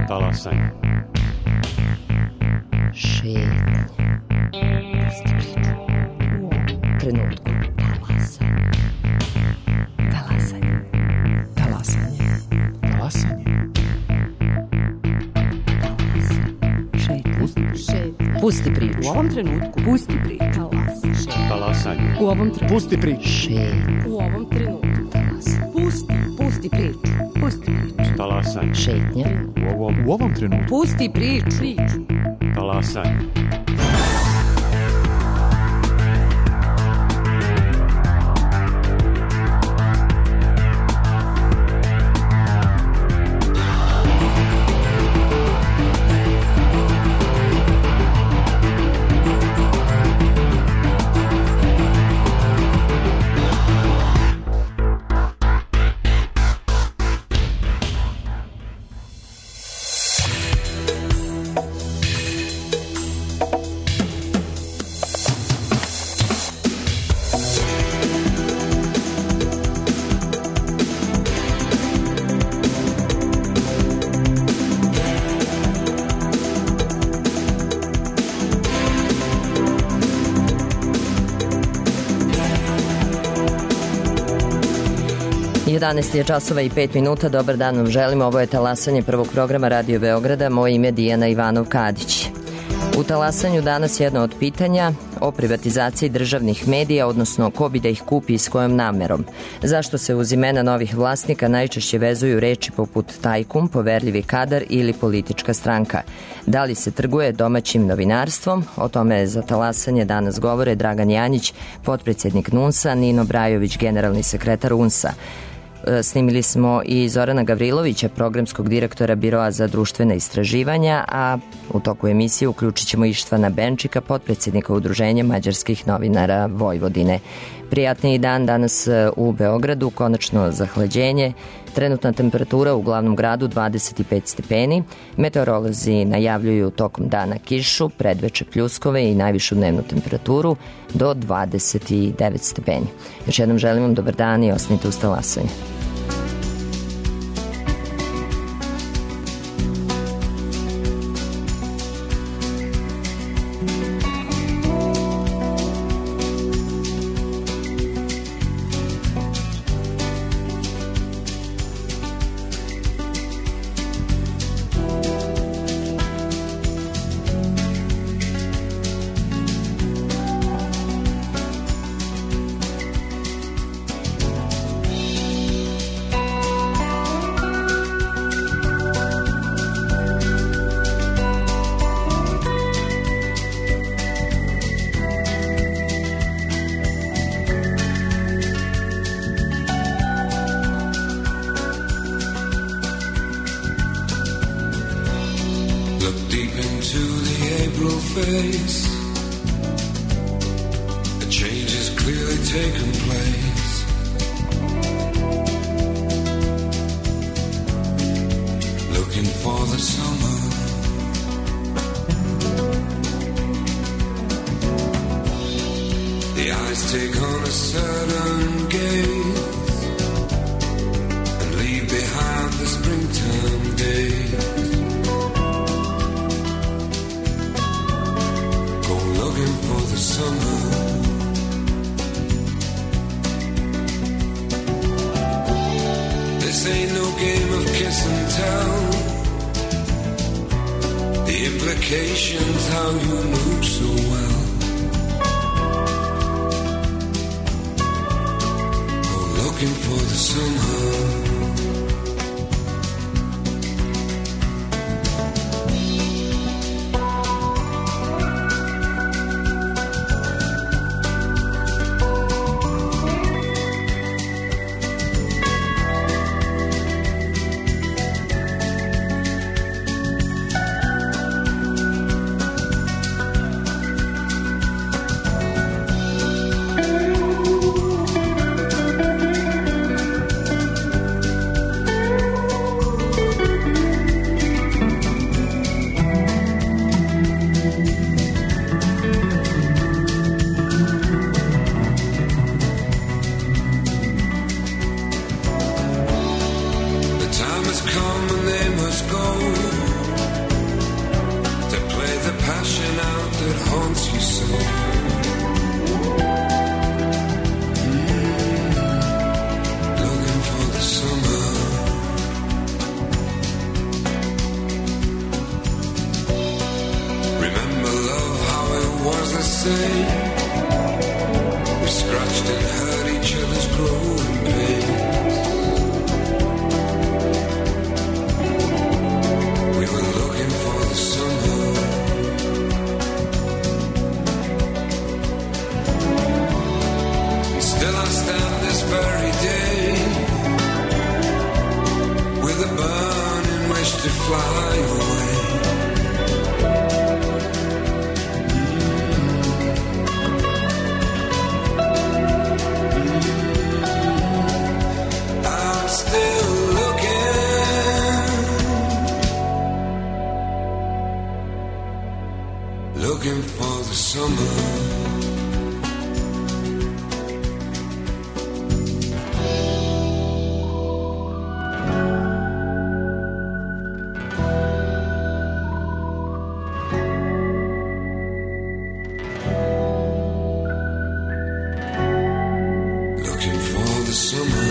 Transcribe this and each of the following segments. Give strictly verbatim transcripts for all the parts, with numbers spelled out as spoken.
Talasanje. Šetnja. Pusti priču. U ovom trenutku. Talasanje. Talasanje. Talasanje. Talasanje. Šetnja. Pusti priču. U ovom trenutku. Pusti priču. Talasanje. U ovom trenutku. Pusti priču. Šetnja. U ovom trenutku. Talasanje. Pusti. Pusti priču. Pusti priču. Talasanje. Šetnja. U ovom, U ovom trenutku. Pusti priču. Priču. talasanje. jedanaest je časova i pet minuta. Dobar dan vam želim. Ovo je talasanje prvog programa Radio Beograda. Moje ime je Dijana Ivanov-Kadić. U talasanju danas jedno od pitanja o privatizaciji državnih medija, odnosno ko bi da ih kupi i s kojom namerom. Zašto se uz imena novih vlasnika najčešće vezuju reči poput tajkun, poverljivi kadar ili politička stranka? Da li se trguje domaćim novinarstvom? O tome za talasanje danas govore Dragan Janjić, potpredsjednik NUNS-a, Nino Brajović, generalni sekretar U N S-a. Snimili smo i Zorana Gavrilovića, programskog direktora Biroa za društvena istraživanja, a u toku emisije uključit ćemo Ištvana Benčika, potpredsjednika Udruženja mađarskih novinara Vojvodine. Prijatniji dan danas u Beogradu, konačno zahlađenje. Trenutna temperatura u glavnom gradu dvadeset pet stepeni. Meteorolozi najavljuju tokom dana kišu, predveče pljuskove i najvišu dnevnu temperaturu do dvadeset devet stepeni. Još jednom želim vam dobar dan i ostanite uz talasanje. growing pains. We were looking for the summer. And still I stand this very day with a burning wish to fly away. Looking for the summer. Looking for the summer.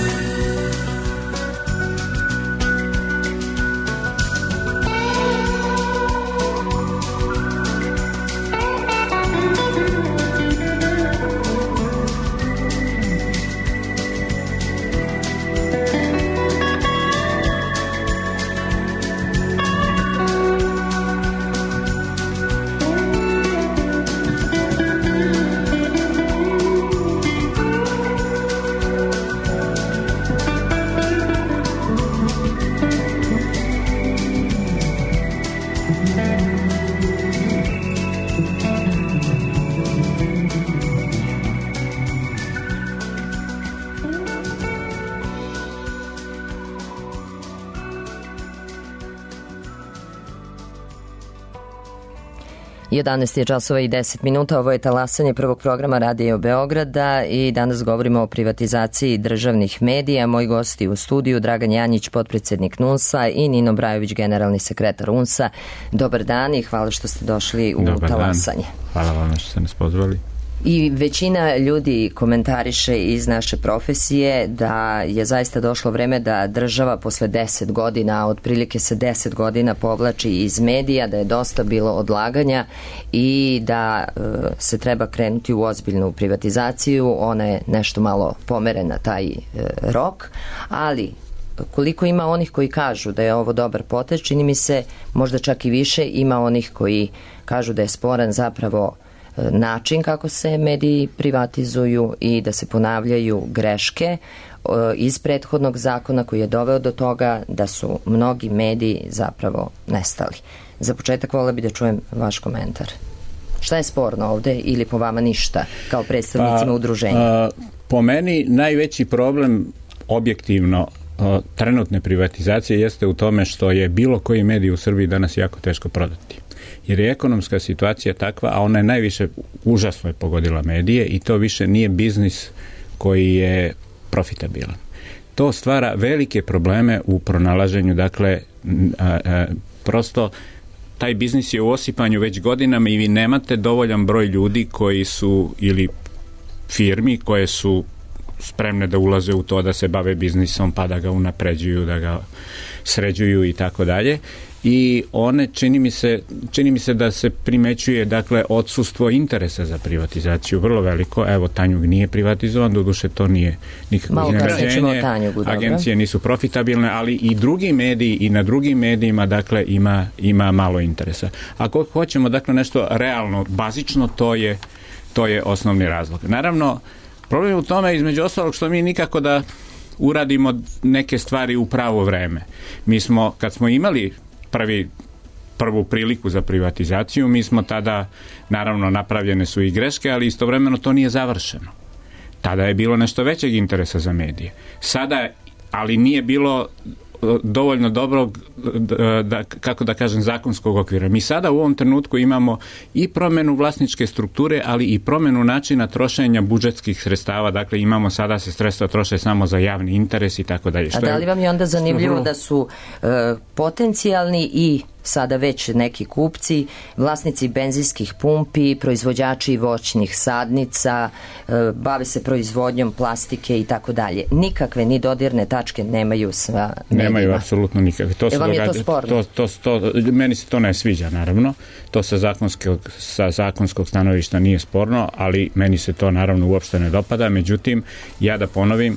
jedanaest je časova i deset minuta, ovo je talasanje prvog programa Radio Beograda i danas govorimo o privatizaciji državnih medija. Moji gosti u studiju, Dragan Janjić, potpredsednik N U N S-a i Nino Brajović, generalni sekretar U N S-a. Dobar dan i hvala što ste došli u Dobar talasanje. Dan. Hvala vam što ste nas pozvali. I većina ljudi komentariše iz naše profesije da je zaista došlo vreme da država posle deset godina, otprilike se deset godina povlači iz medija, da je dosta bilo odlaganja i da e, se treba krenuti u ozbiljnu privatizaciju. Ona je nešto malo pomerena taj e, rok, ali koliko ima onih koji kažu da je ovo dobar potez, čini mi se možda čak i više ima onih koji kažu da je sporan zapravo način kako se mediji privatizuju i da se ponavljaju greške iz prethodnog zakona koji je doveo do toga da su mnogi mediji zapravo nestali. Za početak volela bi da čujem vaš komentar. Šta je sporno ovde ili po vama ništa kao predstavnicima pa, udruženja? A, po meni najveći problem objektivno a, trenutne privatizacije jeste u tome što je bilo koji medij u Srbiji danas jako teško prodati. Jer je ekonomska situacija takva, a ona je najviše užasno je pogodila medije i to više nije biznis koji je profitabilan. To stvara velike probleme u pronalaženju, dakle, a, a, prosto taj biznis je u osipanju već godinama i vi nemate dovoljan broj ljudi koji su, ili firmi koje su spremne da ulaze u to da se bave biznisom, pa da ga unapređuju, da ga sređuju i tako dalje. I one, čini mi se, čini mi se da se primećuje, dakle, odsustvo interesa za privatizaciju vrlo veliko. Evo, Tanjug nije privatizovan, doduše to nije nikakvo iznenađenje. Agencije nisu profitabilne, ali i drugi mediji i na drugim medijima, dakle, ima, ima malo interesa. Ako hoćemo, dakle, nešto realno, bazično, to je, to je osnovni razlog. Naravno, problem je u tome, između ostalog, što mi nikako da uradimo neke stvari u pravo vreme. Mi smo, kad smo imali prvi, prvu priliku za privatizaciju, mi smo tada, naravno, napravljene su i greške, ali istovremeno to nije završeno. Tada je bilo nešto većeg interesa za medije. Sada, ali nije bilo dovoljno dobrog, da, kako da kažem, zakonskog okvira. Mi sada u ovom trenutku imamo i promenu vlasničke strukture, ali i promenu načina trošenja budžetskih sredstava. Dakle, imamo sada se sredstva troše samo za javni interes i tako dalje. A da li vam je onda zanimljivo da su e, potencijalni i sada već neki kupci, vlasnici benzinskih pumpi, proizvođači voćnih sadnica, bave se proizvodnjom plastike i tako dalje. Nikakve ni dodirne tačke nemaju sa medijima. Nemaju apsolutno nikakve. To se vam je to događa, sporno? To, to, to, meni se to ne sviđa, naravno. To sa zakonskog, sa zakonskog stanovišta nije sporno, ali meni se to naravno uopšte ne dopada. Međutim, ja da ponovim,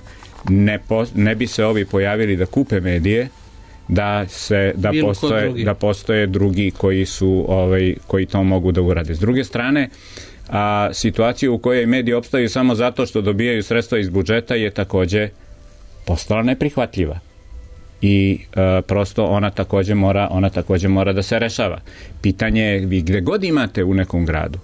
ne, po, ne bi se ovi pojavili da kupe medije, da se da Bilo postoje drugi. da postoje drugi koji su ovaj koji to mogu da urade. S druge strane, a situacija u kojoj mediji opstaju samo zato što dobijaju sredstva iz budžeta je takođe postala neprihvatljiva. I e, prosto ona takođe mora ona takođe mora da se rešava. Pitanje je, vi gde god imate u nekom gradu,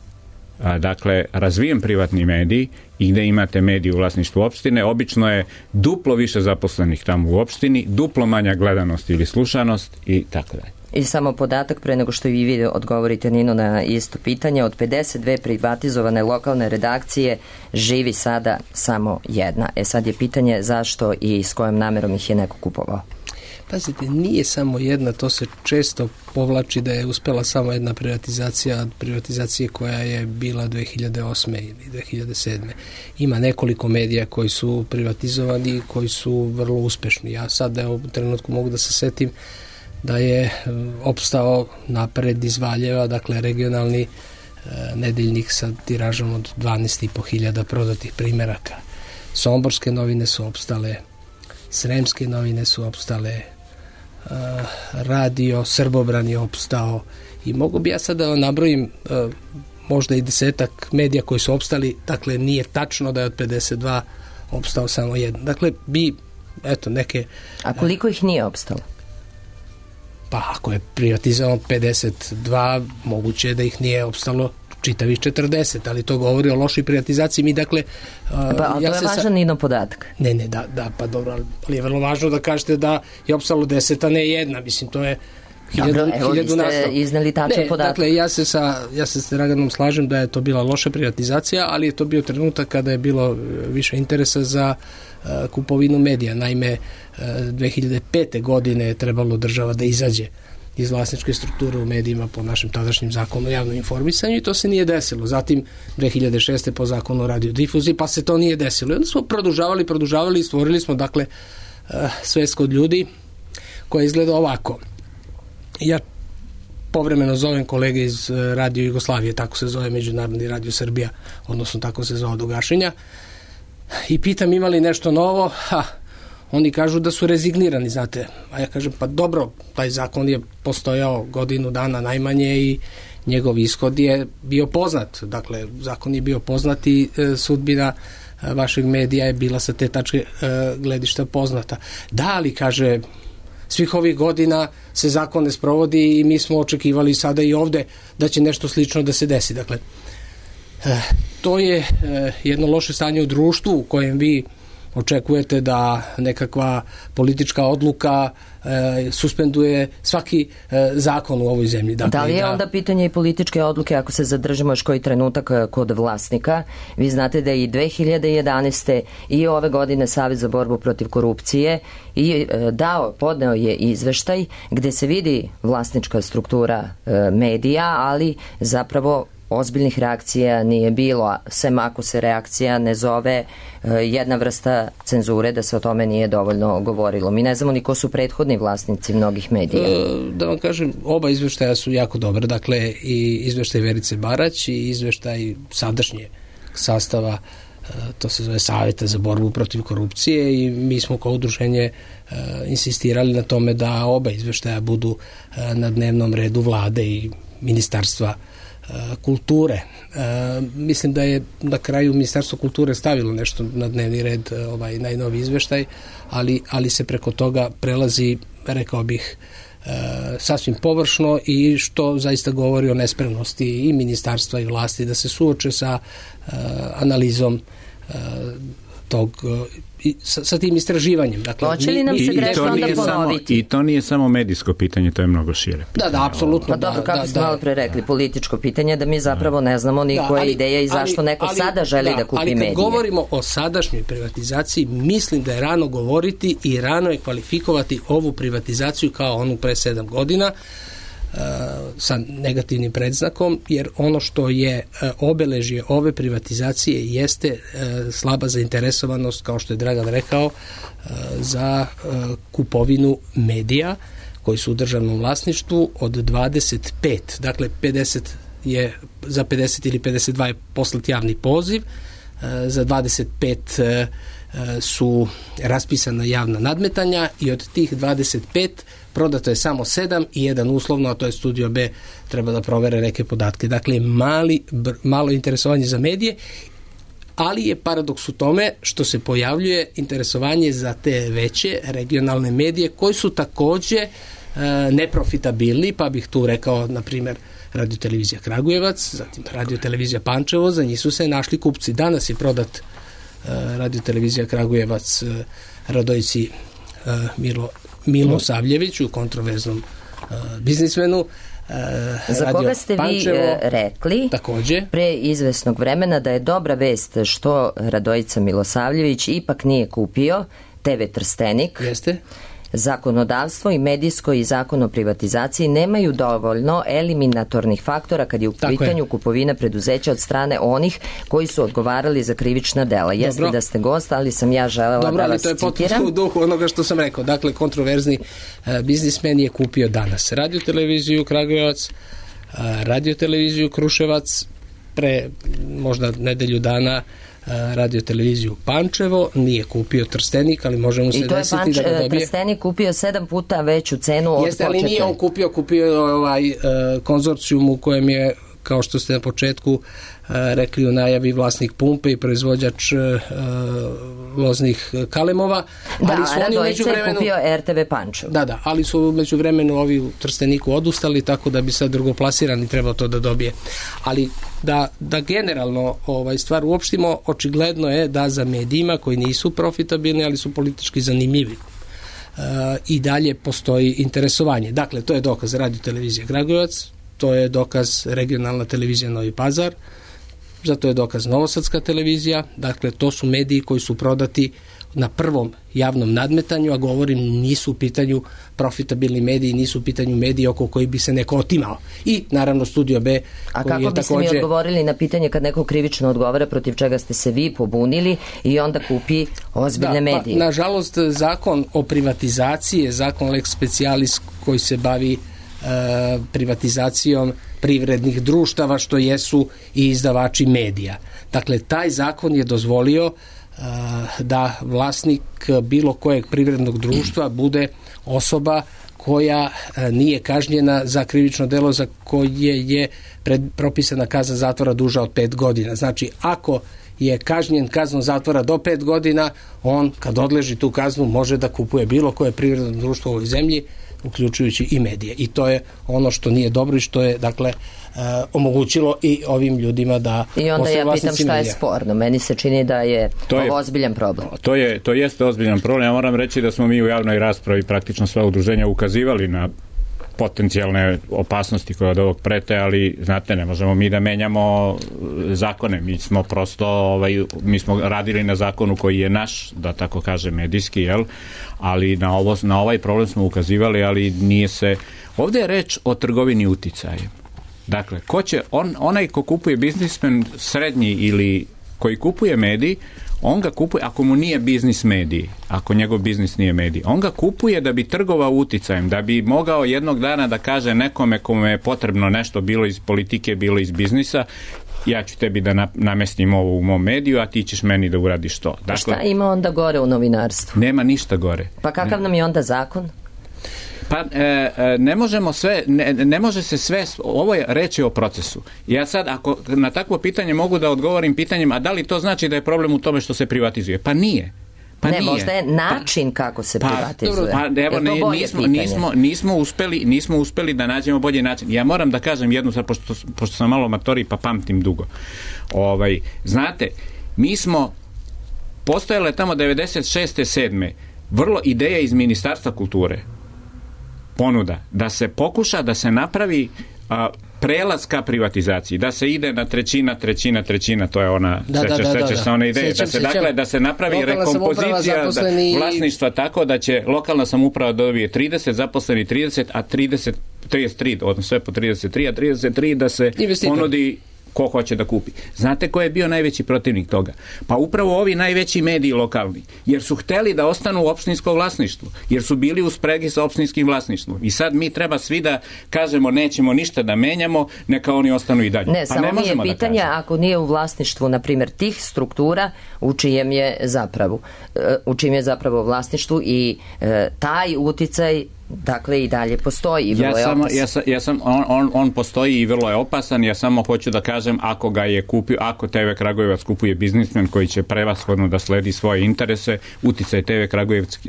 a, dakle, razvijen privatni medij i gde imate medij u vlasništvu opštine, obično je duplo više zaposlenih tamo u opštini, duplo manja gledanost ili slušanost i tako dalje. I samo podatak pre nego što i vi odgovorite, Nino, na isto pitanje, od pedeset dve privatizovane lokalne redakcije živi sada samo jedna. E sad je pitanje zašto i s kojom namerom ih je neko kupovao. Pazite, nije samo jedna, to se često povlači da je uspela samo jedna privatizacija, privatizacije koja je bila dve hiljade osme ili dve hiljade sedme. Ima nekoliko medija koji su privatizovani i koji su vrlo uspešni. Ja sad evo, u trenutku mogu da se setim da je opstao Napred iz Valjeva, dakle regionalni e, nedeljnik sa tiražom od dvanaest i po hiljada prodatih primeraka. Somborske novine su opstale, Sremske novine su opstale, e, radio Srbobran je opstao i mogu bi ja sad da nabrojim e, možda i desetak medija koji su opstali, dakle nije tačno da je od pedeset dva opstao samo jedan. Dakle, bi, eto, neke... A koliko ih nije opstalo? Pa ako je privatizovano pedeset dva, moguće je da ih nije opstalo čitavih četrdeset, ali to govori o lošoj privatizaciji. Mi dakle... Pa, ali ja to je važan sa... Nino podatak. Ne, ne, da, da, pa dobro, ali je vrlo važno da kažete da je opstalo deset, a ne jedna. Mislim, to je hiljadu, dobro, evo, hiljadu vi ste nastav. izneli tačan ne, podatak. Dakle, ja se sa, ja se s Draganom slažem da je to bila loša privatizacija, ali je to bio trenutak kada je bilo više interesa za uh, kupovinu medija. Naime, uh, dve hiljade pete godine je trebalo država da izađe iz vlasničke strukture u medijima po našem tadašnjem zakonu o javnom informisanju i to se nije desilo. Zatim dve hiljade šeste po zakonu o radiodifuziji, pa se to nije desilo. I onda smo produžavali, produžavali i stvorili smo, dakle, uh, svest kod ljudi koja izgleda ovako. Ja povremeno zovem kolege iz Radio Jugoslavije, tako se zove Međunarodni radio Srbija, odnosno tako se zove do gašenja, i pitam ima li nešto novo. Ha, oni kažu da su rezignirani, znate. A ja kažem, pa dobro, taj zakon je postojao godinu dana najmanje i njegov ishod je bio poznat. Dakle, zakon je bio poznat i e, sudbina e, vašeg medija je bila sa te tačke e, gledišta poznata. Da, ali kaže, svih ovih godina se zakon ne sprovodi i mi smo očekivali sada i ovde da će nešto slično da se desi. Dakle, e, to je e, jedno loše stanje u društvu u kojem vi očekujete da nekakva politička odluka e, suspenduje svaki e, zakon u ovoj zemlji. Dakle, da li je da... onda pitanje i političke odluke ako se zadržimo još koji trenutak kod vlasnika? Vi znate da i dve hiljade jedanaeste i ove godine Savez za borbu protiv korupcije i e, dao, podneo je izveštaj gde se vidi vlasnička struktura e, medija, ali zapravo ozbiljnih reakcija nije bilo, sem ako se reakcija ne zove uh, jedna vrsta cenzure, da se o tome nije dovoljno govorilo. Mi ne znamo ni ko su prethodni vlasnici mnogih medija. E, da vam kažem, oba izveštaja su jako dobre, dakle i izveštaj Verice Barać i izveštaj sadašnje sastava, uh, to se zove Saveta za borbu protiv korupcije, i mi smo kao udruženje uh, insistirali na tome da oba izveštaja budu uh, na dnevnom redu vlade i ministarstva kulture. E, mislim da je na kraju Ministarstvo kulture stavilo nešto na dnevni red, ovaj najnoviji izveštaj, ali, ali se preko toga prelazi, rekao bih, e, sasvim površno, i što zaista govori o nespremnosti i ministarstva i vlasti da se suoče sa e, analizom e, tog i sa, sa tim istraživanjem. Dakle, hoće li nam se grešno onda ponoviti? I to nije samo medijsko pitanje, to je mnogo šire pitanje. Da, da, apsolutno. Pa dobro, kako da, ste da, malo pre rekli, političko pitanje, da mi zapravo ne znamo ni koja je ideja i zašto ali, neko ali, sada želi da, da kupi medije. Ali kad medije. govorimo o sadašnjoj privatizaciji, mislim da je rano govoriti i rano je kvalifikovati ovu privatizaciju kao onu pre sedam godina. Uh, sa negativnim predznakom, jer ono što je obeležje ove privatizacije jeste slaba zainteresovanost, kao što je Dragan rekao, za kupovinu medija koji su u državnom vlasništvu od dvadeset pet, dakle pedeset je za pedeset ili pedeset dva je poslat javni poziv, za dvadeset pet su raspisana javna nadmetanja i od tih dvadeset pet prodato je samo sedam i jedan uslovno, a to je Studio B, treba da provere neke podatke. Dakle, mali, malo interesovanje za medije, ali je paradoks u tome što se pojavljuje interesovanje za te veće regionalne medije koji su takođe e, neprofitabilni, pa bih tu rekao, na primjer, Radio-televizija Kragujevac, zatim Radio-televizija Pančevo, za njih su se našli kupci. Danas je prodat e, Radio-televizija Kragujevac e, Radojici e, Milo, Milo Savljeviću, kontroverznom e, biznismenu. E, za koga ste Pančevo, vi e, rekli takođe pre izvesnog vremena da je dobra vest što Radojica Milosavljević ipak nije kupio te ve Trstenik. Jeste. Zakonodavstvo i medijsko i zakon o privatizaciji nemaju dovoljno eliminatornih faktora kad je u Tako pitanju je. kupovina preduzeća od strane onih koji su odgovarali za krivična dela. Jeste Dobro. Da ste gost, ali sam ja želela Dobro, da vas citiram. Dobro, ali to je potpuno u duhu onoga što sam rekao. Dakle, kontroverzni uh, biznismen je kupio danas Radio-televiziju Kragujevac, uh, Radio-televiziju Kruševac, pre možda nedelju dana Radio-televiziju Pančevo, nije kupio Trstenik, ali možemo se desiti Panč, da ga dobije. I to je Trstenik kupio sedam puta veću cenu od Jeste, početne. ali nije on kupio, kupio ovaj uh, konzorcijum u kojem je, kao što ste na početku uh, rekli u najavi, vlasnik pumpe i proizvođač uh, loznih kalemova. Da, ali su oni Radojica vremenu... je kupio er te ve Pančevo. Da, da, ali su među vremenu ovi u Trsteniku odustali, tako da bi sad drugoplasirani trebao to da dobije. Ali da, da generalno ovaj stvar uopštimo, očigledno je da za medijima koji nisu profitabilni, ali su politički zanimljivi, uh, i dalje postoji interesovanje. Dakle, to je dokaz Radio-televizija Kragujevac, to je dokaz regionalna televizija Novi Pazar, zato je dokaz Novosadska televizija. Dakle, to su mediji koji su prodati na prvom javnom nadmetanju, a govorim, nisu u pitanju profitabilni mediji, nisu u pitanju mediji oko koji bi se neko otimao. I naravno Studio B, a koji kako je biste takođe... mi odgovorili na pitanje kad neko krivično odgovara, protiv čega ste se vi pobunili i onda kupi ozbiljne da, medije? Pa, nažalost, zakon o privatizaciji je zakon lex specialis koji se bavi e, privatizacijom privrednih društava, što jesu i izdavači medija. Dakle, taj zakon je dozvolio da vlasnik bilo kojeg privrednog društva bude osoba koja nije kažnjena za krivično delo za koje je pred, propisana kazna zatvora duža od pet godina. Znači, ako je kažnjen kaznom zatvora do pet godina, on kad odleži tu kaznu može da kupuje bilo koje privredno društvo u ovoj zemlji, uključujući i medije. I to je ono što nije dobro i što je, dakle, uh, omogućilo i ovim ljudima da... I onda ja pitam šta je sporno. Meni se čini da je to je, ozbiljan problem. To, je, to jeste ozbiljan problem. Ja moram reći da smo mi u javnoj raspravi praktično sva udruženja ukazivali na potencijalne opasnosti koje od ovog prete, ali znate, ne možemo mi da menjamo zakone. Mi smo prosto, ovaj, mi smo radili na zakonu koji je naš, da tako kaže, medijski, jel? Ali na, ovo, na ovaj problem smo ukazivali, ali nije se... Ovdje je reč o trgovini uticajem. Dakle, ko će, on, onaj ko kupuje biznismen srednji ili koji kupuje medij, on ga kupuje, ako mu nije biznis mediji, ako njegov biznis nije medij, on ga kupuje da bi trgovao uticajem, da bi mogao jednog dana da kaže nekome kome je potrebno nešto, bilo iz politike, bilo iz biznisa, ja ću tebi da namestim ovo u mom mediju, a ti ćeš meni da uradiš to. Dakle, šta ima onda gore u novinarstvu? Nema ništa gore. Pa kakav ne. nam je onda zakon? Pa e, ne možemo sve, ne, ne može se sve, ovo je reč o procesu. Ja sad, ako na takvo pitanje mogu da odgovorim pitanjem, a da li to znači da je problem u tome što se privatizuje? Pa nije. Pa ne, nije. Možda je način pa, kako se pa, privatizuje. Pa, evo, ne, nismo, nismo, nismo, uspeli, nismo uspeli da nađemo bolji način. Ja moram da kažem jednu stvar, pošto, pošto sam malo matori pa pamtim dugo. Ovaj, znate, mi smo postojale tamo devedeset šeste sedme vrlo ideja iz Ministarstva kulture, ponuda, da se pokuša da se napravi a, prelaz ka privatizaciji, da se ide na trećina, trećina, trećina, to je ona, da, sećaš, da, da, sećaš da, se da. one ideje, Sjećam, da se, sjećam. dakle, da se napravi Lokalna rekompozicija zaposleni... da, vlasništva tako da će lokalna samouprava dobije trideset, zaposleni trideset, a trideset, trideset tri, odnosno sve po trideset tri, a trideset tri da se investitor ponudi ko hoće da kupi. Znate ko je bio najveći protivnik toga? Pa upravo ovi najveći mediji lokalni, jer su hteli da ostanu u opštinskom vlasništvu, jer su bili u spregi sa opštinskim vlasništvom. I sad mi treba svi da kažemo nećemo ništa da menjamo, neka oni ostanu i dalje. Ne, pa samo ne mi je možemo pitanje da ako nije u vlasništvu, na primjer, tih struktura, u čijem je zapravo, u čijem je zapravo vlasništvu i e, taj uticaj dakle i dalje postoji i vrlo ja je samo, opasan. ja sam, ja sam, on, on, on postoji i vrlo je opasan, ja samo hoću da kažem ako ga je kupio, ako te ve Kragujevac kupuje biznismen koji će prevashodno da sledi svoje interese, uticaj te ve Kragujevac,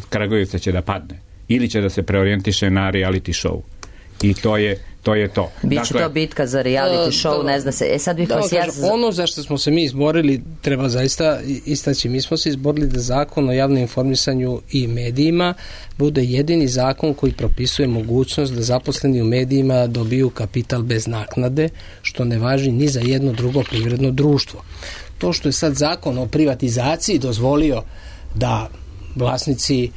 Kragujevca će da padne ili će da se preorijentiše na reality show i to je to je to. Biće dakle, to bitka za reality show, da, ne zna se. E sad bih da, vas ja... kažem, ono za što smo se mi izborili treba zaista istaći. Mi smo se izborili da zakon o javnom informisanju i medijima bude jedini zakon koji propisuje mogućnost da zaposleni u medijima dobiju kapital bez naknade, što ne važi ni za jedno drugo privredno društvo. To što je sad zakon o privatizaciji dozvolio da vlasnici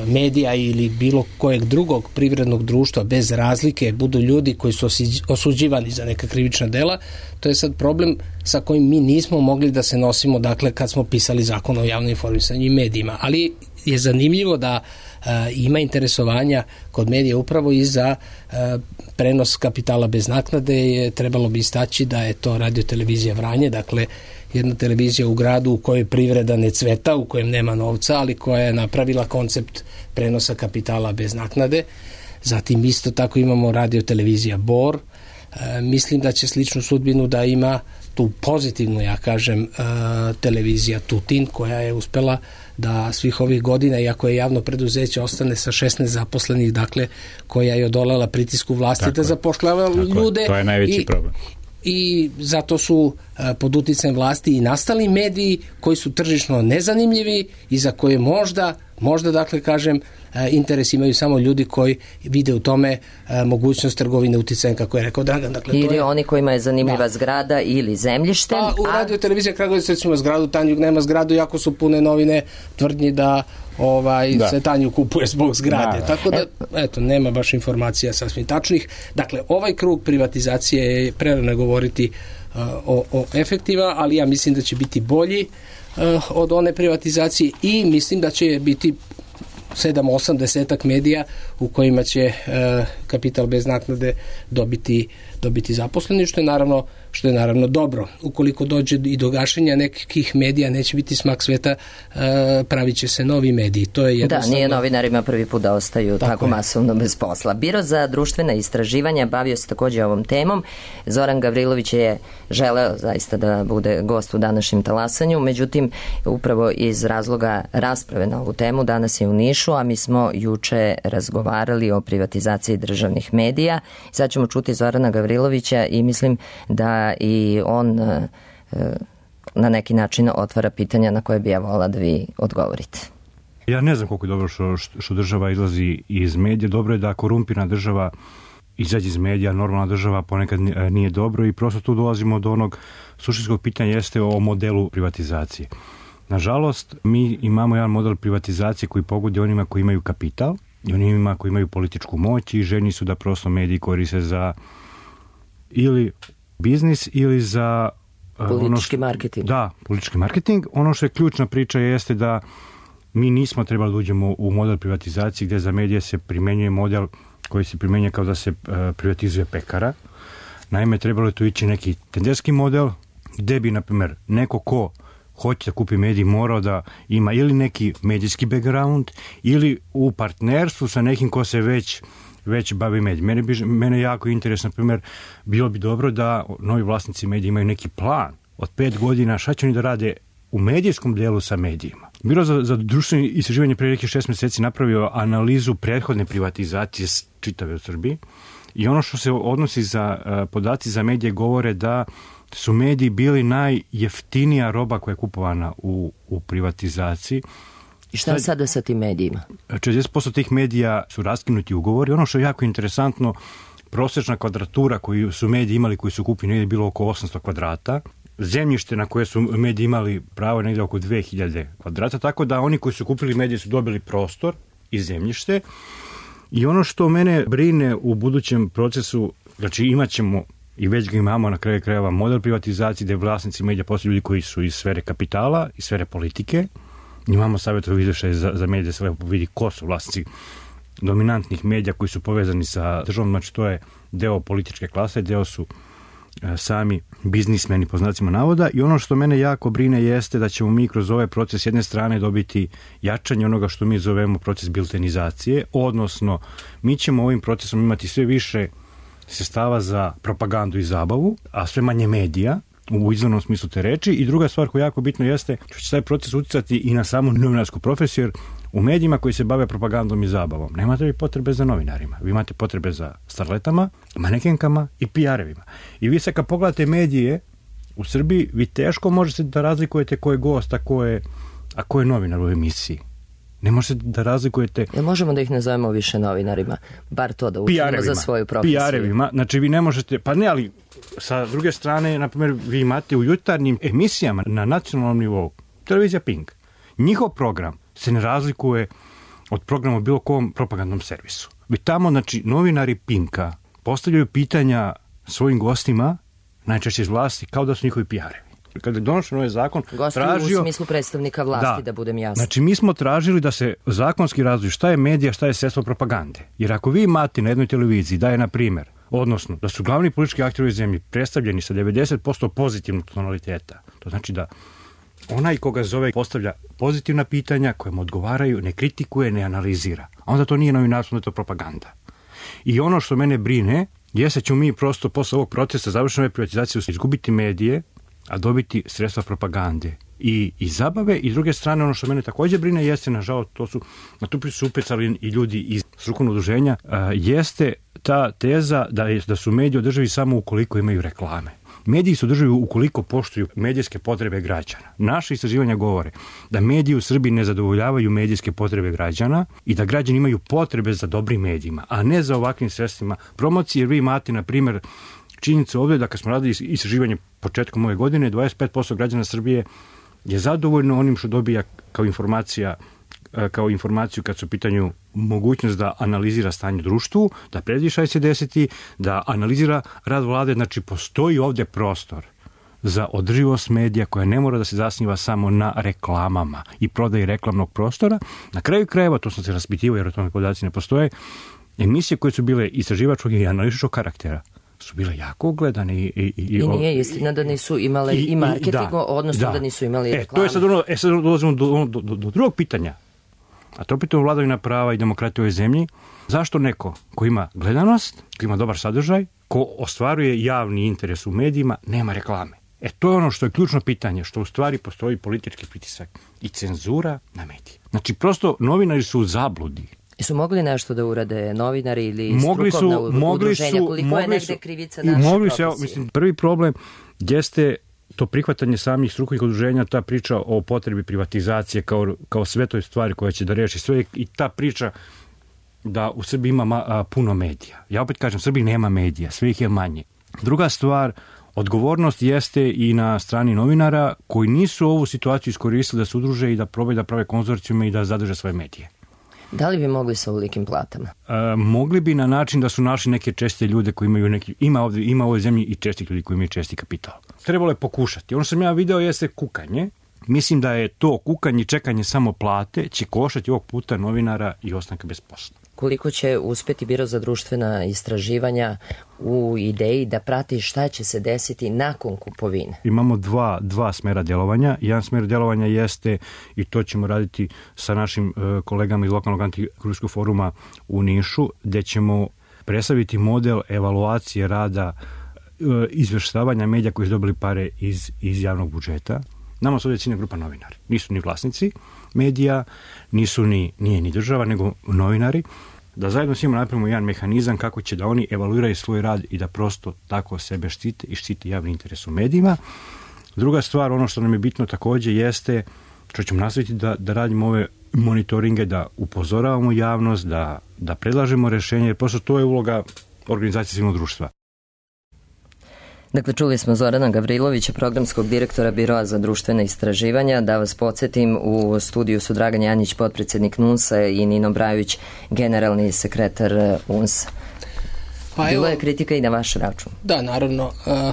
medija ili bilo kojeg drugog privrednog društva bez razlike budu ljudi koji su osuđivani za neka krivična dela, to je sad problem sa kojim mi nismo mogli da se nosimo, dakle, kad smo pisali zakon o javnom informisanju i medijima. Ali je zanimljivo da uh, ima interesovanja kod medija upravo i za uh, prenos kapitala bez naknade. Je, trebalo bi istaći da je to Radio televizija Vranje, dakle jedna televizija u gradu u kojoj privreda ne cveta, u kojem nema novca, ali koja je napravila koncept prenosa kapitala bez naknade. Zatim isto tako imamo Radio televizija Bor. E, mislim da će sličnu sudbinu da ima tu pozitivnu, ja kažem, e, televizija Tutin, koja je uspela da svih ovih godina, iako je javno preduzeće, ostane sa šesnaest zaposlenih, dakle, koja je odolala pritisku vlasti tako da zapošljava ljude. To je najveći i, problem. I zato su a, pod uticajem vlasti i nastali mediji koji su tržišno nezanimljivi i za koje možda, možda dakle kažem, a, interes imaju samo ljudi koji vide u tome a, mogućnost trgovine uticajem, kako je rekao Dragan. Dakle, ili to je, oni kojima je zanimljiva da. zgrada ili zemljište. Pa u Radio televizija Kragujevac recimo zgradu, Tanjug nema zgradu, jako su pune novine tvrdnji da ovaj da. se Tanju kupuje zbog zgrade. Da, da. Tako da, eto, nema baš informacija sasvim tačnih. Dakle, ovaj krug privatizacije je prerano govoriti uh, o, o efektiva, ali ja mislim da će biti bolji uh, od one privatizacije i mislim da će biti sedam osam desetak medija u kojima će uh, kapital bez naknade dobiti, dobiti zaposleni, što je naravno što je naravno dobro. Ukoliko dođe i do gašenja nekih medija, neće biti smak sveta, uh, pravit će se novi mediji. To je jednostavno... Da, nije novinarima prvi put da ostaju tako, tako masovno bez posla. Biro za društvena istraživanja bavio se također ovom temom. Zoran Gavrilović je želeo zaista da bude gost u današnjem talasanju, međutim, upravo iz razloga rasprave na ovu temu danas je u Nišu, a mi smo juče razgovarali o privatizaciji državnih medija. Sad ćemo čuti Zorana Gavrilovića i mislim da i on e, na neki način otvara pitanja na koje bi ja volila da vi odgovorite. Ja ne znam koliko je dobro što, što država izlazi iz medija. Dobro je da korumpirana država izađe iz medija, normalna država ponekad nije dobro i prosto tu dolazimo do onog suštinskog pitanja jeste o modelu privatizacije. Nažalost, mi imamo jedan model privatizacije koji pogodi onima koji imaju kapital i onima koji imaju političku moć i željni su da prosto mediji koriste za ili biznis ili za politički ono što, marketing. Da, politički marketing. Ono što je ključna priča jeste da mi nismo trebali da uđemo u model privatizacije gdje za medije se primenjuje model koji se primenjuje kao da se uh, privatizuje pekara. Naime, trebalo je tu ići neki tenderski model gdje bi, na primjer, neko ko hoće da kupi medij morao da ima ili neki medijski background ili u partnerstvu sa nekim ko se već već bavi medij. Mene, bi, mene jako interesno, na primjer, bilo bi dobro da novi vlasnici medija imaju neki plan od pet godina šta će oni da rade u medijskom dijelu sa medijima. Biro za, za društveno istraživanje prije nekih šest mjeseci napravio analizu prethodne privatizacije čitave u Srbiji i ono što se odnosi za uh, podaci za medije govore da su mediji bili najjeftinija roba koja je kupovana u, u privatizaciji. I šta je sada sa tim medijima? četrdeset posto tih medija su raskinuti ugovori. Ono što je jako interesantno, prosječna kvadratura koju su mediji imali, koji su kupili, negdje bilo oko osamsto kvadrata. Zemljište na koje su mediji imali pravo negdje oko dve hiljade kvadrata, tako da oni koji su kupili medije su dobili prostor i zemljište. I ono što mene brine u budućem procesu, znači imat ćemo, i već ga imamo na kraju krajeva, model privatizacije gdje vlasnici medija postaju ljudi koji su iz sfere kapitala, iz sfere politike. Imamo savjetovi izvještaj za, za medije, sve vidi ko su vlasnici dominantnih medija koji su povezani sa državom, znači to je deo političke klase, deo su e, sami biznismeni po znacima navoda. I ono što mene jako brine jeste da ćemo mi kroz ovaj proces s jedne strane dobiti jačanje onoga što mi zovemo proces biltenizacije, odnosno mi ćemo ovim procesom imati sve više sredstava za propagandu i zabavu, a sve manje medija u izvornom smislu te reči. I druga stvar koja je jako bitno jeste što će taj proces utjecati i na samu novinarsku profesiju, jer u medijima koji se bave propagandom i zabavom nemate vi potrebe za novinarima, vi imate potrebe za starletama, manekenkama i P R-evima. I vi sad kad pogledate medije u Srbiji, vi teško možete da razlikujete ko je gost, a ko je, a ko je novinar u emisiji. Ne možete da razlikujete... Jel možemo da ih nazovemo više novinarima? Bar to da učinimo za svoju profesiju. P R-evima, znači vi ne možete... Pa ne, ali sa druge strane, na primjer, vi imate u jutarnjim emisijama na nacionalnom nivou, televizija Pink, njihov program se ne razlikuje od programa u bilo kom propagandnom servisu. Vi tamo, znači, novinari Pinka postavljaju pitanja svojim gostima, najčešće iz vlasti, kao da su njihovi P R-evi. Kada je donošen ovaj zakon, Gosti tražio... u smislu predstavnika vlasti, da, da budem jasno. Znači, mi smo tražili da se zakonski razvoji šta je medija, šta je sredstvo propagande. Jer ako vi imate na jednoj televiziji da je, na primjer, odnosno da su glavni politički akteri u zemlji predstavljeni sa devedeset posto pozitivnog tonaliteta, to znači da onaj koga zove postavlja pozitivna pitanja koje mu odgovaraju, ne kritikuje, ne analizira. A onda to nije novinarstvo, onda je to propaganda. I ono što mene brine jeste ćemo mi prosto posle ovog procesa završene privatizacije izgubiti medije, a dobiti sredstva propagande i, i zabave. I s druge strane, ono što mene također brine jeste, nažalost, to su, na tu priču su upecali i ljudi iz strukovnog udruženja, a, jeste ta teza da, je, da su mediji održivi samo ukoliko imaju reklame. Mediji su održivi ukoliko poštuju medijske potrebe građana. Naše istraživanja govore da mediji u Srbiji ne zadovoljavaju medijske potrebe građana i da građani imaju potrebe za dobrim medijima, a ne za ovakvim sredstvima promocije. Jer vi imate, na primjer, činjenica ovdje da kad smo radili istraživanje početkom ove godine, dvadeset pet posto građana Srbije je zadovoljno onim što dobija kao informacija, kao informaciju kad su u pitanju mogućnost da analizira stanje u društvu, da predvidi šta će se desiti, da analizira rad vlade. Znači, postoji ovdje prostor za održivost medija koja ne mora da se zasniva samo na reklamama i prodaji reklamnog prostora. Na kraju krajeva, to sam se raspitivao jer o tome podaci ne postoje, emisije koje su bile istraživačkog i analitičkog karaktera su bile jako ugledane. I, i, i, I nije istina da nisu imale i, i marketing, da, odnosno da. da nisu imali reklame. E, to je sad ono, e, sad dolazimo do, do, do, do drugog pitanja. A to pitanje vladavina prava i demokratije u ovoj zemlji. Zašto neko ko ima gledanost, ko ima dobar sadržaj, ko ostvaruje javni interes u medijima, nema reklame? E, to je ono što je ključno pitanje, što u stvari postoji politički pritisak i cenzura na medije. Znači, prosto novinari su u zabludi. Su mogli nešto da urade novinari ili mogli strukovna su, mogli udruženja? Su, koliko mogli je negde su, krivica naše mogli profesije? Su, mislim, prvi problem jeste to prihvatanje samih strukovnih udruženja, ta priča o potrebi privatizacije kao, kao svetoj stvari koja će da reši sve i ta priča da u Srbiji ima ma, a, puno medija. Ja opet kažem, u Srbiji nema medija, sve ih je manje. Druga stvar, odgovornost jeste i na strani novinara koji nisu ovu situaciju iskoristili da se udruže i da probaju da prave konzorcijume i da zadrže svoje medije. Da li bi mogli sa ovolikim platama? E, mogli bi na način da su našli neke česte ljude koji imaju neki, ima ovdje, ima u ovoj zemlji i čestih ljudi koji imaju česti kapital. Trebalo je pokušati. Ono što sam ja video jeste kukanje. Mislim da je to kukanje, čekanje samo plate, će koštati ovog puta novinara i ostanka bez posla. Koliko će uspjeti Biro za društvena istraživanja u ideji da prati šta će se desiti nakon kupovine? Imamo dva, dva smera djelovanja. Jedan smer djelovanja jeste, i to ćemo raditi sa našim uh, kolegama iz lokalnog antikorupcijskog foruma u Nišu, gdje ćemo predstaviti model evaluacije rada uh, izvještavanja medija koji su dobili pare iz, iz javnog budžeta. Nama su ovdje ciljna grupa novinari. Nisu ni vlasnici medija, nisu ni, nije ni država, nego novinari. Da zajedno s njima napravimo jedan mehanizam kako će da oni evaluiraju svoj rad i da prosto tako sebe štite i štite javni interes u medijima. Druga stvar, ono što nam je bitno također jeste, što ćemo nastaviti da, da radimo ove monitoringe, da upozoravamo javnost, da, da predlažemo rješenje, jer prosto to je uloga organizacije civilnog društva. Dakle, čuli smo Zorana Gavrilovića, programskog direktora Biroa za društvene istraživanja. Da vas podsjetim, u studiju su Dragan Janjić, potpredsjednik N U N S-a, i Nino Brajović, generalni sekretar U N S-a. Pa Bilo evo, je kritika i na vaš račun. Da, naravno, a,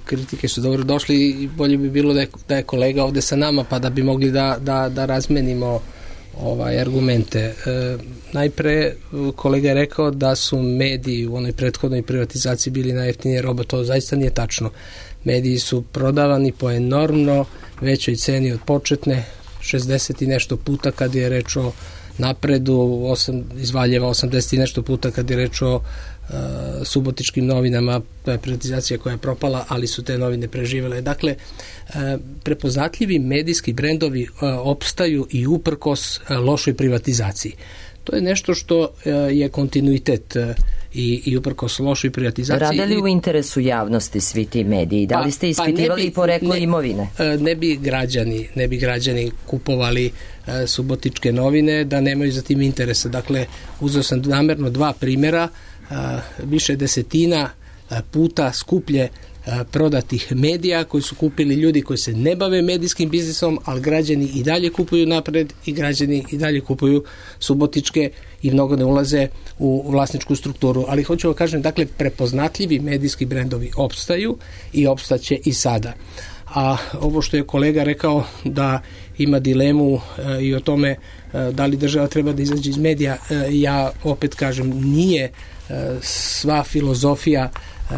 kritike su dobro došli i bolje bi bilo da je, da je kolega ovde sa nama, pa da bi mogli da, da, da razmenimo ovaj, argumente. E, najpre, kolega je rekao da su mediji u onoj prethodnoj privatizaciji bili najjeftinije roba. To zaista nije tačno. Mediji su prodavani po enormno većoj ceni od početne, šezdeset i nešto puta kad je reč o Napredu, osam, iz Valjeva osamdeset i nešto puta kad je reč o Uh, subotičkim novinama. To je privatizacija koja je propala, ali su te novine preživele. Dakle, uh, prepoznatljivi medijski brendovi uh, opstaju i uprkos uh, lošoj privatizaciji. To je nešto što uh, je kontinuitet uh, i, i uprkos lošoj privatizaciji. Rade li u interesu javnosti svi ti mediji? Da li ste ispitivali pa, pa poreklo imovine? Uh, ne bi građani, ne bi građani kupovali uh, subotičke novine da nemaju za tim interesa. Dakle, uzeo sam namerno dva primjera. A, više desetina a, puta skuplje a, prodatih medija koji su kupili ljudi koji se ne bave medijskim biznisom, ali građani i dalje kupuju Napred i građani i dalje kupuju subotičke i mnogo ne ulaze u vlasničku strukturu. Ali hoću vam kažem, dakle, prepoznatljivi medijski brendovi opstaju i opstaće i sada. A ovo što je kolega rekao da ima dilemu e, i o tome e, da li država treba da izađe iz medija, e, ja opet kažem, nije e, sva filozofija e,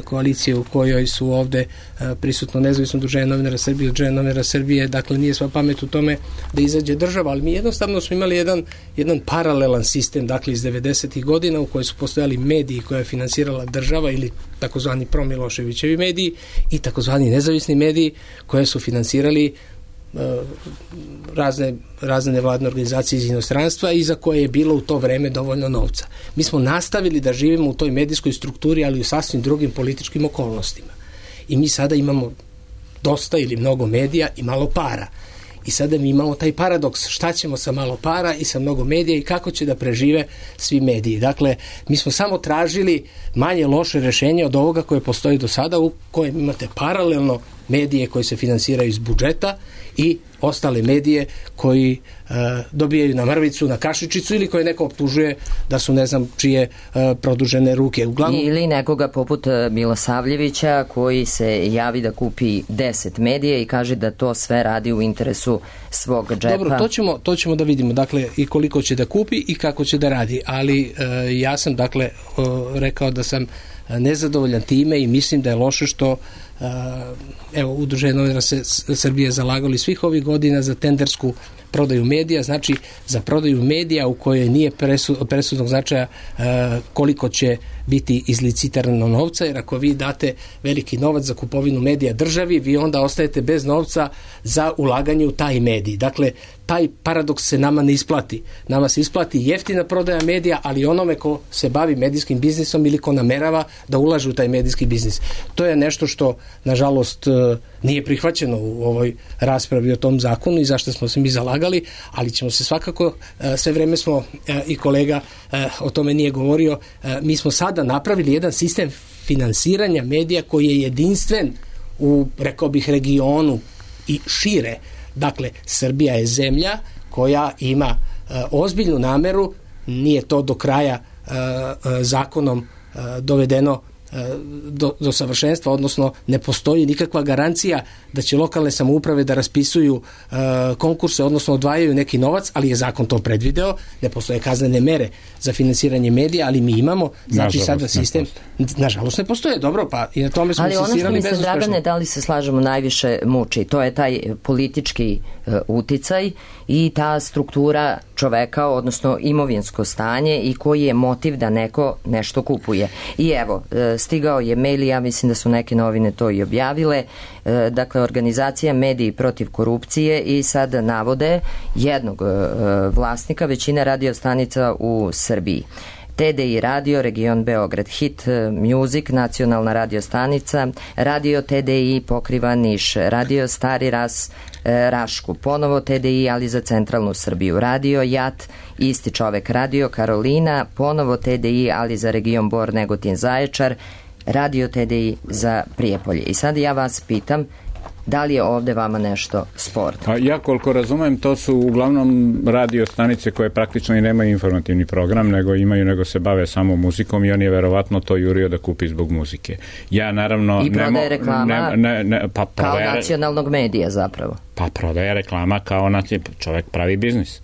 koalicije u kojoj su ovde e, prisutno nezavisno udruženje novinara Srbije, udruženje novinara Srbije, dakle nije sva pamet u tome da izađe država, ali mi jednostavno smo imali jedan, jedan paralelan sistem, dakle iz devedesetih godina u kojoj su postojali mediji koje je finansirala država ili takozvani promiloševićevi mediji i takozvani nezavisni mediji koje su finansirali razne, razne nevladne organizacije iz inostranstva i za koje je bilo u to vreme dovoljno novca. Mi smo nastavili da živimo u toj medijskoj strukturi, ali u sasvim drugim političkim okolnostima. I mi sada imamo dosta ili mnogo medija i malo para. I sada mi imamo taj paradoks, šta ćemo sa malo para i sa mnogo medija i kako će da prežive svi mediji. Dakle, mi smo samo tražili manje loše rešenje od ovoga koje postoji do sada, u kojem imate paralelno medije koji se finansiraju iz budžeta i ostale medije koji e, dobijaju na mrvicu, na kašičicu ili koje neko optužuje da su ne znam čije e, produžene ruke. Uglavnom... Ili nekoga poput Milosavljevića koji se javi da kupi deset medija i kaže da to sve radi u interesu svog džepa. Dobro, to ćemo, to ćemo da vidimo, dakle, i koliko će da kupi i kako će da radi, ali e, ja sam, dakle, o, rekao da sam nezadovoljan time i mislim da je loše što Uh, evo, udruženje novinara Srbije zalagali svih ovih godina za tendersku prodaju medija, znači za prodaju medija u kojoj nije presud, presudnog značaja uh, koliko će biti izlicitirano novca, jer ako vi date veliki novac za kupovinu medija državi, vi onda ostajete bez novca za ulaganje u taj medij. Dakle, taj paradoks se nama ne isplati. Nama se isplati jeftina prodaja medija, ali onome ko se bavi medijskim biznisom ili ko namerava da ulaže u taj medijski biznis. To je nešto što, nažalost, nije prihvaćeno u ovoj raspravi o tom zakonu i zašto smo se mi zalagali, ali ćemo se svakako, sve vreme smo, i kolega o tome nije govorio, mi smo sada napravili jedan sistem finansiranja medija koji je jedinstven u, rekao bih, regionu i šire. Dakle, Srbija je zemlja koja ima uh, ozbiljnu nameru, nije to do kraja uh, uh, zakonom uh, dovedeno do, do savršenstva, odnosno ne postoji nikakva garancija da će lokalne samouprave da raspisuju uh, konkurse, odnosno odvajaju neki novac, ali je zakon to predvideo, ne postoje kaznene mere za finansiranje medija, ali mi imamo, znači nažalost, sada sistem, ne nažalost ne postoje, dobro, pa i na tome smo insistirali bezuspešno. Ali ono što mi se, Dragane, da li se slažemo, najviše muči, to je taj politički uh, uticaj i ta struktura čoveka, odnosno imovinsko stanje i koji je motiv da neko nešto kupuje. I evo, stigao je mail i ja mislim da su neke novine to i objavile, dakle, organizacija Mediji protiv korupcije i sad navode jednog vlasnika većine radio stanica u Srbiji. T D I radio, region Beograd, Hit Music, nacionalna radio stanica, radio T D I pokriva Niš, radio Stari Ras, e, Rašku, ponovo T D I ali za centralnu Srbiju, radio Jat, isti čovek, radio Karolina, ponovo T D I ali za region Bor, Negotin, Zaječar, radio T D I za Prijepolje. I sad ja vas pitam, da li je ovde vama nešto sporno? Pa ja koliko razumem, to su uglavnom radio stanice koje praktično i nemaju informativni program, nego imaju, nego se bave samo muzikom i on je verovatno to jurio da kupi zbog muzike. Ja naravno... I prodaje nemo, reklama ne, ne, ne, pa kao prodaje, nacionalnog medija zapravo. Pa prodaje reklama kao naci, čovek pravi biznis.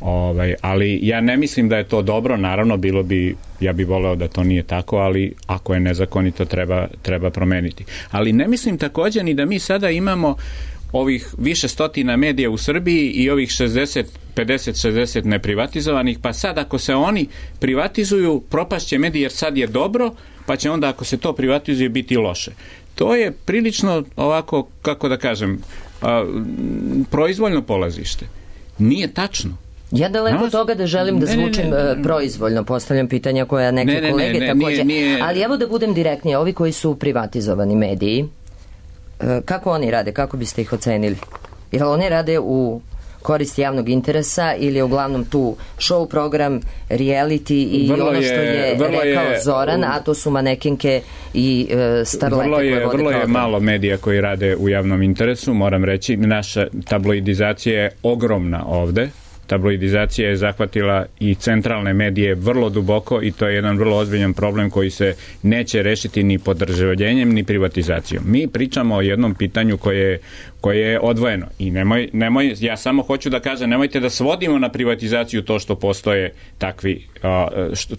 Ovaj, ali ja ne mislim da je to dobro, naravno bilo bi, ja bih voleo da to nije tako, ali ako je nezakonito treba, treba promeniti. Ali ne mislim također ni da mi sada imamo ovih više stotina medija u Srbiji i ovih šezdeset, pedeset, šezdeset neprivatizovanih, pa sad ako se oni privatizuju, propašće mediji jer sad je dobro, pa će onda ako se to privatizuje biti loše. To je prilično ovako, kako da kažem, a, proizvoljno polazište. Nije tačno. Ja daleko no, toga da želim da zvučim ne, ne, ne, proizvoljno, postavljam pitanja koja neke ne, ne, kolege ne, ne, također, nije, nije... ali evo da budem direktnije, ovi koji su privatizovani mediji, kako oni rade, kako biste ih ocenili? Jer oni rade u korist javnog interesa ili je uglavnom tu show program, reality i vrlo ono što je, je rekao je, Zoran, a to su manekinke i e, starlete vrlo je, koje vode vrlo program. Je malo medija koji rade u javnom interesu, moram reći, naša tabloidizacija je ogromna ovde. Tabloidizacija je zahvatila i centralne medije vrlo duboko i to je jedan vrlo ozbiljan problem koji se neće rešiti ni podržavljenjem ni privatizacijom. Mi pričamo o jednom pitanju koje, koje je odvojeno i nemoj, nemoj, ja samo hoću da kažem, nemojte da svodimo na privatizaciju to što postoje takvi,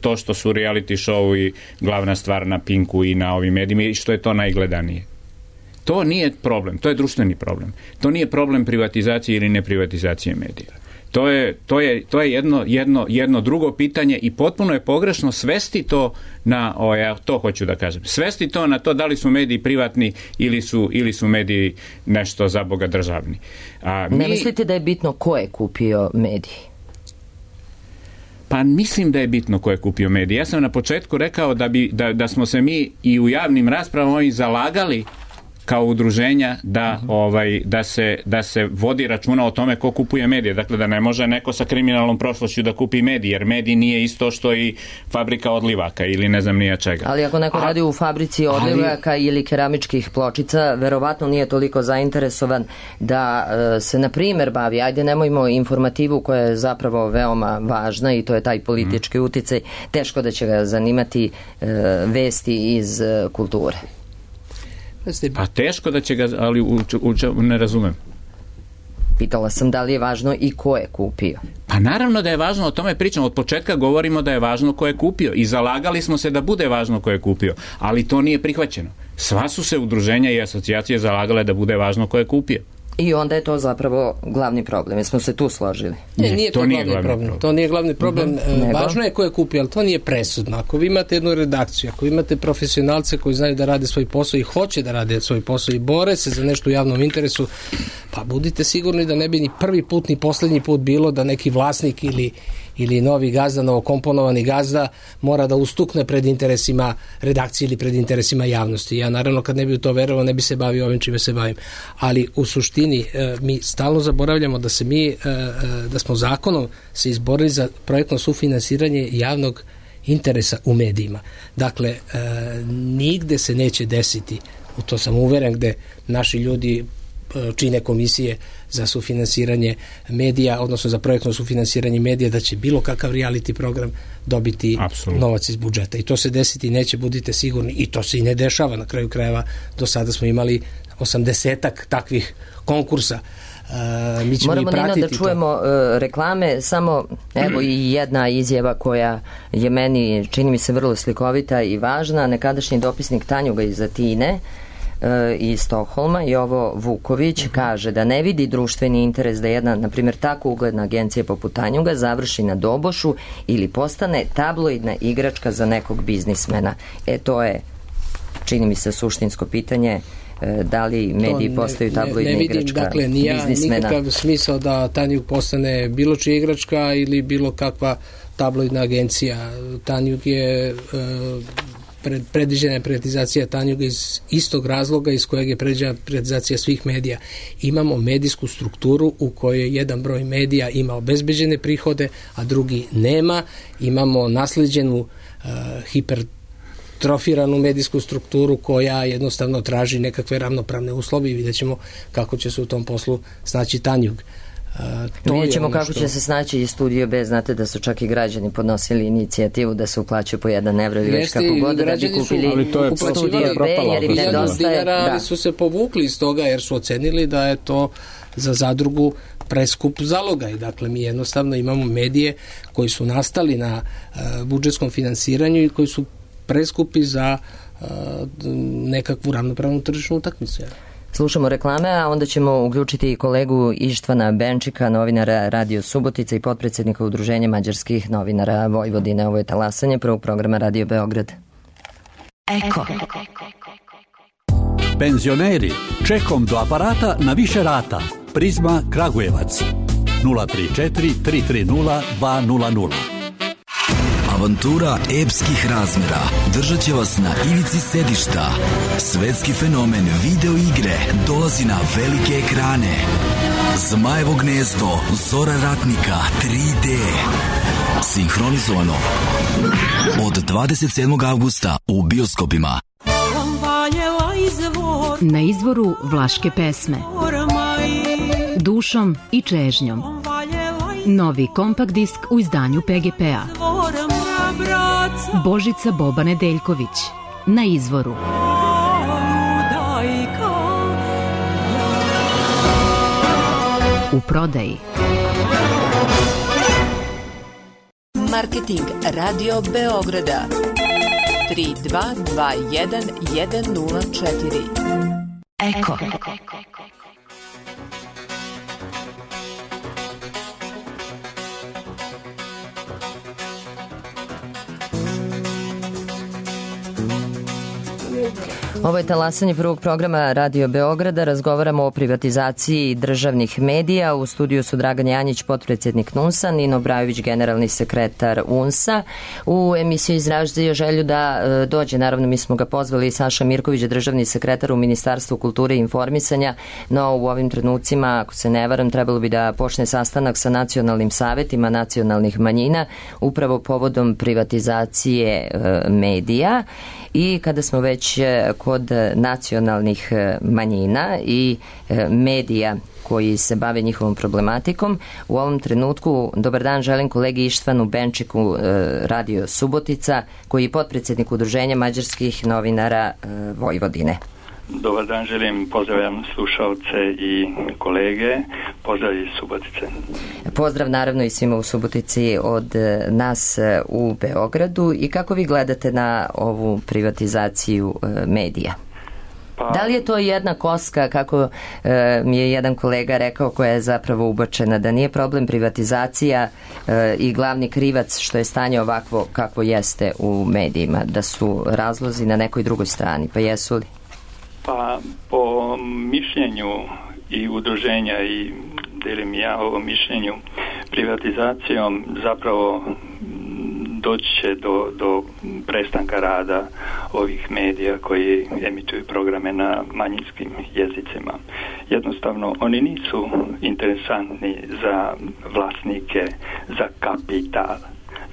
to što su reality show i glavna stvar na Pinku i na ovim medijima i što je to najgledanije. To nije problem, to je društveni problem. To nije problem privatizacije ili neprivatizacije medija. To je, to je, to je jedno, jedno, jedno drugo pitanje i potpuno je pogrešno svesti to na, o, ja to hoću da kažem, svesti to na to da li su mediji privatni ili su, ili su mediji nešto za Boga državni. A, mi, ne mislite da je bitno ko je kupio mediji? Pa mislim da je bitno ko je kupio mediji. Ja sam na početku rekao da, bi, da, da smo se mi i u javnim raspravama ovim zalagali kao udruženja da, uh-huh. ovaj, da, se, da se vodi računa o tome ko kupuje medije. Dakle, da ne može neko sa kriminalnom prošlošću da kupi medij, jer medij nije isto što i fabrika odlivaka ili ne znam nija čega. Ali ako neko A, radi u fabrici odlivaka ali, ili keramičkih pločica, verovatno nije toliko zainteresovan da uh, se, na primer, bavi, ajde nemojmo informativu koja je zapravo veoma važna i to je taj politički uh-huh. uticaj, teško da će ga zanimati uh, vesti iz uh, kulture. Pa teško da će ga, ali u, u, u, ne razumem. Pitala sam da li je važno i ko je kupio. Pa naravno da je važno, o tome pričamo. Od početka govorimo da je važno ko je kupio i zalagali smo se da bude važno ko je kupio, ali to nije prihvaćeno. Sva su se udruženja i asocijacije zalagale da bude važno ko je kupio. I onda je to zapravo glavni problem. Jesmo se tu složili? Ne, nije to, to nije glavni problem. problem. To nije glavni problem. Uh-huh. Važno je ko je kupio, ali to nije presudno. Ako vi imate jednu redakciju, ako imate profesionalce koji znaju da rade svoj posao i hoće da rade svoj posao i bore se za nešto u javnom interesu, pa budite sigurni da ne bi ni prvi put ni poslednji put bilo da neki vlasnik ili ili novi gazda, novokomponovani gazda mora da ustukne pred interesima redakcije ili pred interesima javnosti. Ja naravno kad ne bi u to verovao ne bi se bavio ovim čime se bavim. Ali u suštini mi stalno zaboravljamo da se mi, da smo zakonom se izborili za projektno sufinansiranje javnog interesa u medijima. Dakle, nigde se neće desiti, u to sam uveren, gde naši ljudi čine komisije za sufinansiranje medija, odnosno za projektno sufinansiranje medija, da će bilo kakav reality program dobiti Absolutno. Novac iz budžeta. I to se desiti neće, budite sigurni. I to se i ne dešava. Na kraju krajeva do sada smo imali osamdesetak takvih konkursa. Uh, mi ćemo Moramo, i pratiti Nino, da čujemo uh, reklame. Samo evo i jedna izjava koja je meni, čini mi se, vrlo slikovita i važna. Nekadašnji dopisnik Tanjuga iz Atine iz Stokholma, Jovo Vuković, kaže da ne vidi društveni interes da jedna, na primjer, tako ugledna agencija poput Tanjuga završi na dobošu ili postane tabloidna igračka za nekog biznismena. E, to je, čini mi se, suštinsko pitanje da li mediji ne, postaju tabloidna ne, ne vidim, igračka dakle, nija, biznismena? Nikakav smisao da Tanjug postane bilo čija igračka ili bilo kakva tabloidna agencija. Tanjug je e, pred, predviđena je privatizacija Tanjuga iz istog razloga iz kojeg je predviđena privatizacija svih medija. Imamo medijsku strukturu u kojoj jedan broj medija ima obezbeđene prihode, a drugi nema. Imamo nasleđenu e, hiper trofiranu medijsku strukturu koja jednostavno traži nekakve ravnopravne uslove i vidjet ćemo kako će se u tom poslu snaći Tanjug. Uh, Vidjet ćemo kako što... će se snaći i Studio B. Znate da su čak i građani podnosili inicijativu da se uplaćaju po jedan evro ili već kako god da bi kupili ali to je Studio B jer im nedostaje. Da. Ali su se povukli iz toga jer su ocenili da je to za zadrugu preskup zaloga i dakle mi jednostavno imamo medije koji su nastali na uh, budžetskom finansiranju i koji su preskupi za uh, nekakvu ravnopravnu tržišnu utakmicu. Slušamo reklame, a onda ćemo uključiti i kolegu Ištvana Benčika, novinara Radio Subotica i potpredsjednika Udruženja mađarskih novinara Vojvodine. Ovo je talasanje prvog programa Radio Beograd. Eko. Penzioneri, čekom do aparata na više rata. Prizma Kragujevac. nula tri četiri tri tri nula dva nula nula. Avantura epskih razmera držat će vas na ivici sedišta. Svetski fenomen video igre dolazi na velike ekrane. Zmajevo gnezdo, Zora ratnika, tri D. Sinhronizovano od dvadeset sedmog avgusta u bioskopima. Na izvoru vlaške pesme Dušom i čežnjom. Novi kompakt disk u izdanju P G P-a. Božica Boba Nedeljković. Na izvoru. U prodaji. Marketing Radio Beograda tri dva dva jedan jedan nula četiri. Eko. Ovo je talasanje prvog programa Radio Beograda. Razgovaramo o privatizaciji državnih medija. U studiju su Dragan Janjić, potpredsjednik N U N S-a, Nino Brajović, generalni sekretar U N S-a. U emisiji izražio želju da e, dođe, naravno mi smo ga pozvali, Saša Mirković, državni sekretar u Ministarstvu kulture i informisanja, no u ovim trenucima, ako se ne varam, trebalo bi da počne sastanak sa nacionalnim savetima nacionalnih manjina, upravo povodom privatizacije e, medija. I kada smo već kod nacionalnih manjina i medija koji se bave njihovom problematikom, u ovom trenutku dobar dan želim kolegi Ištvanu Benčiku, Radio Subotica, koji je potpredsjednik Udruženja mađarskih novinara Vojvodine. Dobar dan, želim, pozdravljam slušalce i kolege, pozdrav iz Subotice. Pozdrav naravno i svima u Subotici od nas u Beogradu. I kako vi gledate na ovu privatizaciju medija? Pa, da li je to jedna koska, kako e, mi je jedan kolega rekao, koja je zapravo ubačena, da nije problem privatizacija e, i glavni krivac što je stanje ovakvo kakvo jeste u medijima, da su razlozi na nekoj drugoj strani, pa jesu li? Pa po mišljenju i udruženja i delim ja ovo mišljenju, privatizacijom zapravo doći će do, do prestanka rada ovih medija koji emituju programe na manjinskim jezicima. Jednostavno, oni nisu interesantni za vlasnike, za kapital.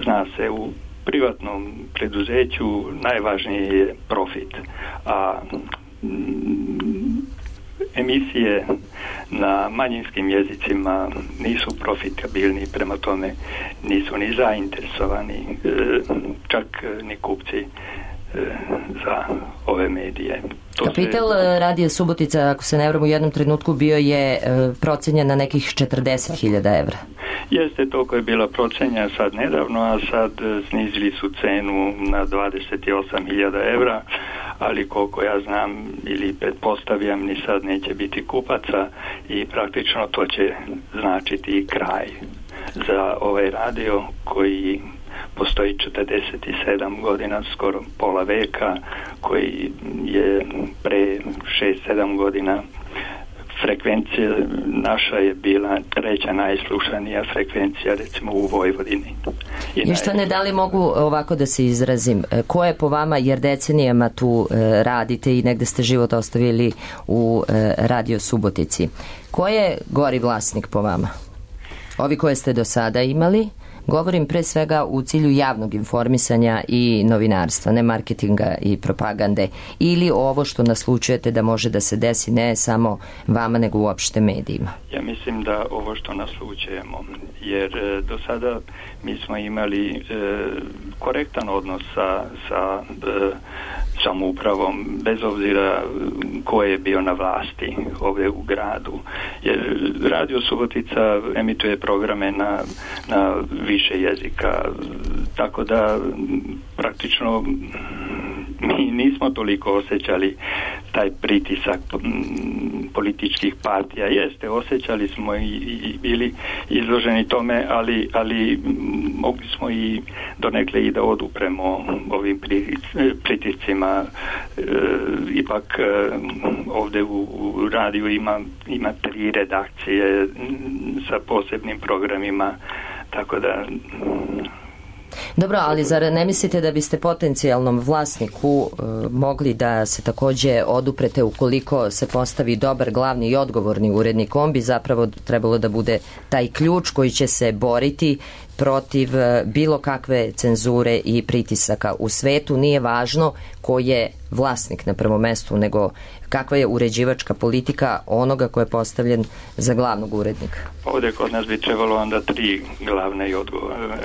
Zna se, u privatnom preduzeću najvažniji je profit, a emisije na manjinskim jezicima nisu profitabilni, prema tome nisu ni zainteresovani, čak ni kupci za ove medije. To Kapital se... Radio Subotica, ako se ne varam, u jednom trenutku bio je procenjen na nekih četrdeset hiljada evra. Jeste, toliko je bila procenja sad nedavno, a sad snizili su cenu na dvadeset osam hiljada evra, ali koliko ja znam ili pretpostavljam, ni sad neće biti kupaca i praktično to će značiti kraj za ovaj radio koji postoji četrdeset sedam godina, skoro pola veka, koji je pre šest sedam godina frekvencija naša je bila treća najslušanija frekvencija, recimo u Vojvodini. I, I što ne da li mogu ovako da se izrazim, ko je po vama, jer decenijama tu e, radite i negde ste život ostavili u e, Radio Subotici, ko je gori vlasnik po vama? Ovi koje ste do sada imali? Govorim pre svega u cilju javnog informisanja i novinarstva, ne marketinga i propagande, ili ovo što naslučujete da može da se desi ne samo vama nego uopšte medijima? Ja mislim da ovo što naslučujemo, jer e, do sada mi smo imali e, korektan odnos sa, sa e, samoupravom, bez obzira ko je bio na vlasti ovdje u gradu. Jer Radio Subotica emituje programe na, na više jezika, tako da praktično mi nismo toliko osjećali taj pritisak političkih partija. Jeste, osjećali smo i, i bili izloženi tome, ali, ali mogli smo i donekle i da odupremo ovim pritiscima. E, ipak e, ovdje u, u radiju ima, ima tri redakcije sa posebnim programima, tako da... Dobro, ali zar ne mislite da biste potencijalnom vlasniku e, mogli da se takođe oduprete ukoliko se postavi dobar glavni i odgovorni urednik? On bi zapravo trebalo da bude taj ključ koji će se boriti protiv bilo kakve cenzure i pritisaka u svetu. Nije važno ko je vlasnik na prvom mestu, nego kakva je uređivačka politika onoga ko je postavljen za glavnog urednika. Ovdje kod nas bi trebalo onda tri glavne i odgovorne,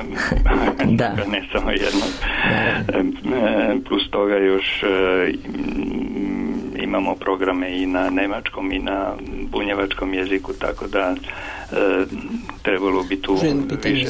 da. ne samo jedno. Da. Plus toga još imamo programe i na nemačkom i na bunjevačkom jeziku, tako da e, trebalo bi tu više.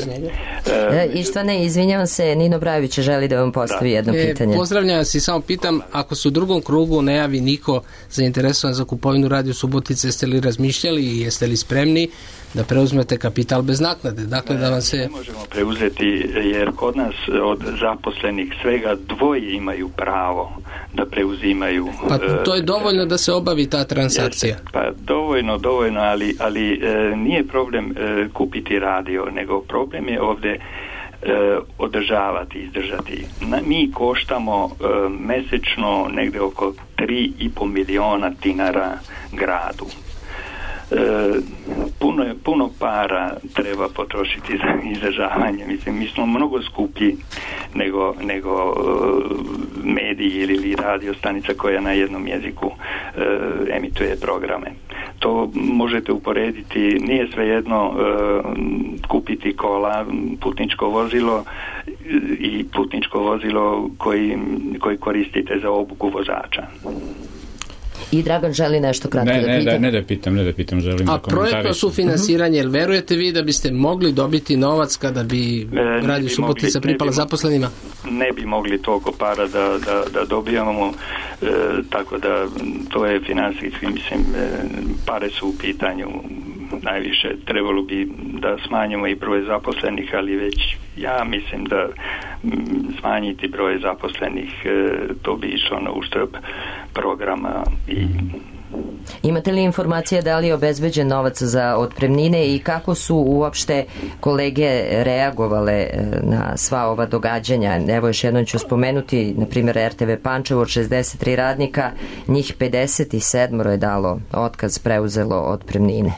E, I što ne, izvinjavam se, Nino Brajović želi da vam postavi da. jedno e, pitanje. Pozdravljam vas i samo pitam, ako se u drugom krugu ne javi niko zainteresovan za kupovinu Radio Subotice, jeste li razmišljali i jeste li spremni da preuzmete kapital bez naknade? Dakle, ne, da vam se... ne možemo preuzeti, jer kod nas od zaposlenih svega dvoje imaju pravo da preuzimaju. Pa to je dovoljno da se obavi ta transakcija. Jeste, pa dovoljno, dovoljno, ali, ali e, nije problem e, kupiti radio, nego problem je ovdje e, održavati, izdržati. Na, mi koštamo e, mesečno negde oko tri i po miliona dinara gradu. E, puno, puno para treba potrošiti za izdržavanje. Mislim, mi smo mnogo skuplji nego, nego uh, mediji ili radio stanica koja na jednom jeziku uh, emituje programe. To možete uporediti, nije svejedno uh, kupiti kola, putničko vozilo i putničko vozilo koji, koji koristite za obuku vozača. I Dragan želi nešto kratko ne, da ne, pita. Da, ne da pitam, ne da pitam, želim A da komentarišem. projektno sufinansiranje, jel verujete vi da biste mogli dobiti novac kada bi e, Radio Subotica pripala bi, zaposlenima? Ne bi mogli toliko para da, da, da dobijamo, e, tako da to je finansijski, mislim, e, pare su u pitanju najviše. Trebalo bi da smanjimo i broj zaposlenih, ali već ja mislim da m, smanjiti broj zaposlenih, e, to bi išlo na uštrb programa. I imate li informacije da li je obezbeđen novac za otpremnine i kako su uopšte kolege reagovale na sva ova događanja? Evo još jednom ću spomenuti, na primjer R T V Pančevo od šezdeset tri radnika, njih pedeset sedam je dalo otkaz, preuzelo otpremnine.